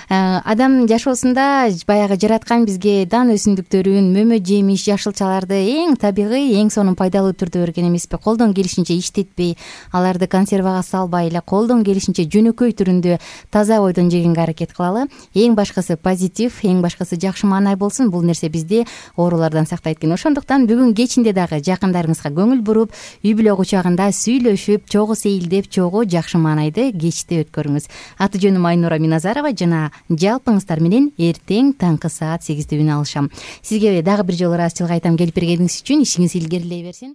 адам жашоосунда баягы жараткан бизге дан өсүмдүктөрүн, мөмө жемиш, жашылчаларды эң табигый, эң сонун пайдалуу түрдө берген эмеспи? Колдон келишинче иштетпей, аларды консервага салбай эле, колдон келишинче жөнөкөй түрүндө таза бойдон жегенге аракет кылалы. Эң башкысы позитив, эң башкысы жакшы маанай болсун. Бул нерсе бизди оорулардан сактайт экен. Ошондуктан бүгүн кечинде дагы жакындарыңызга көңүл буруп, үй бүлө кучагында сүйлөшүп, чогуу сейилдеп, чогуу жакшы маанайды кечти өткөрүңүз. Аты жөнүм Айнура Миназарова жана жалпыңыздар менен эртең таңкы саат 8-дө үн алышам. Сизге дагы бир жолу ыраазычылык айтам келип бергениңиз үчүн. Ишиңиз илгерилей берсин.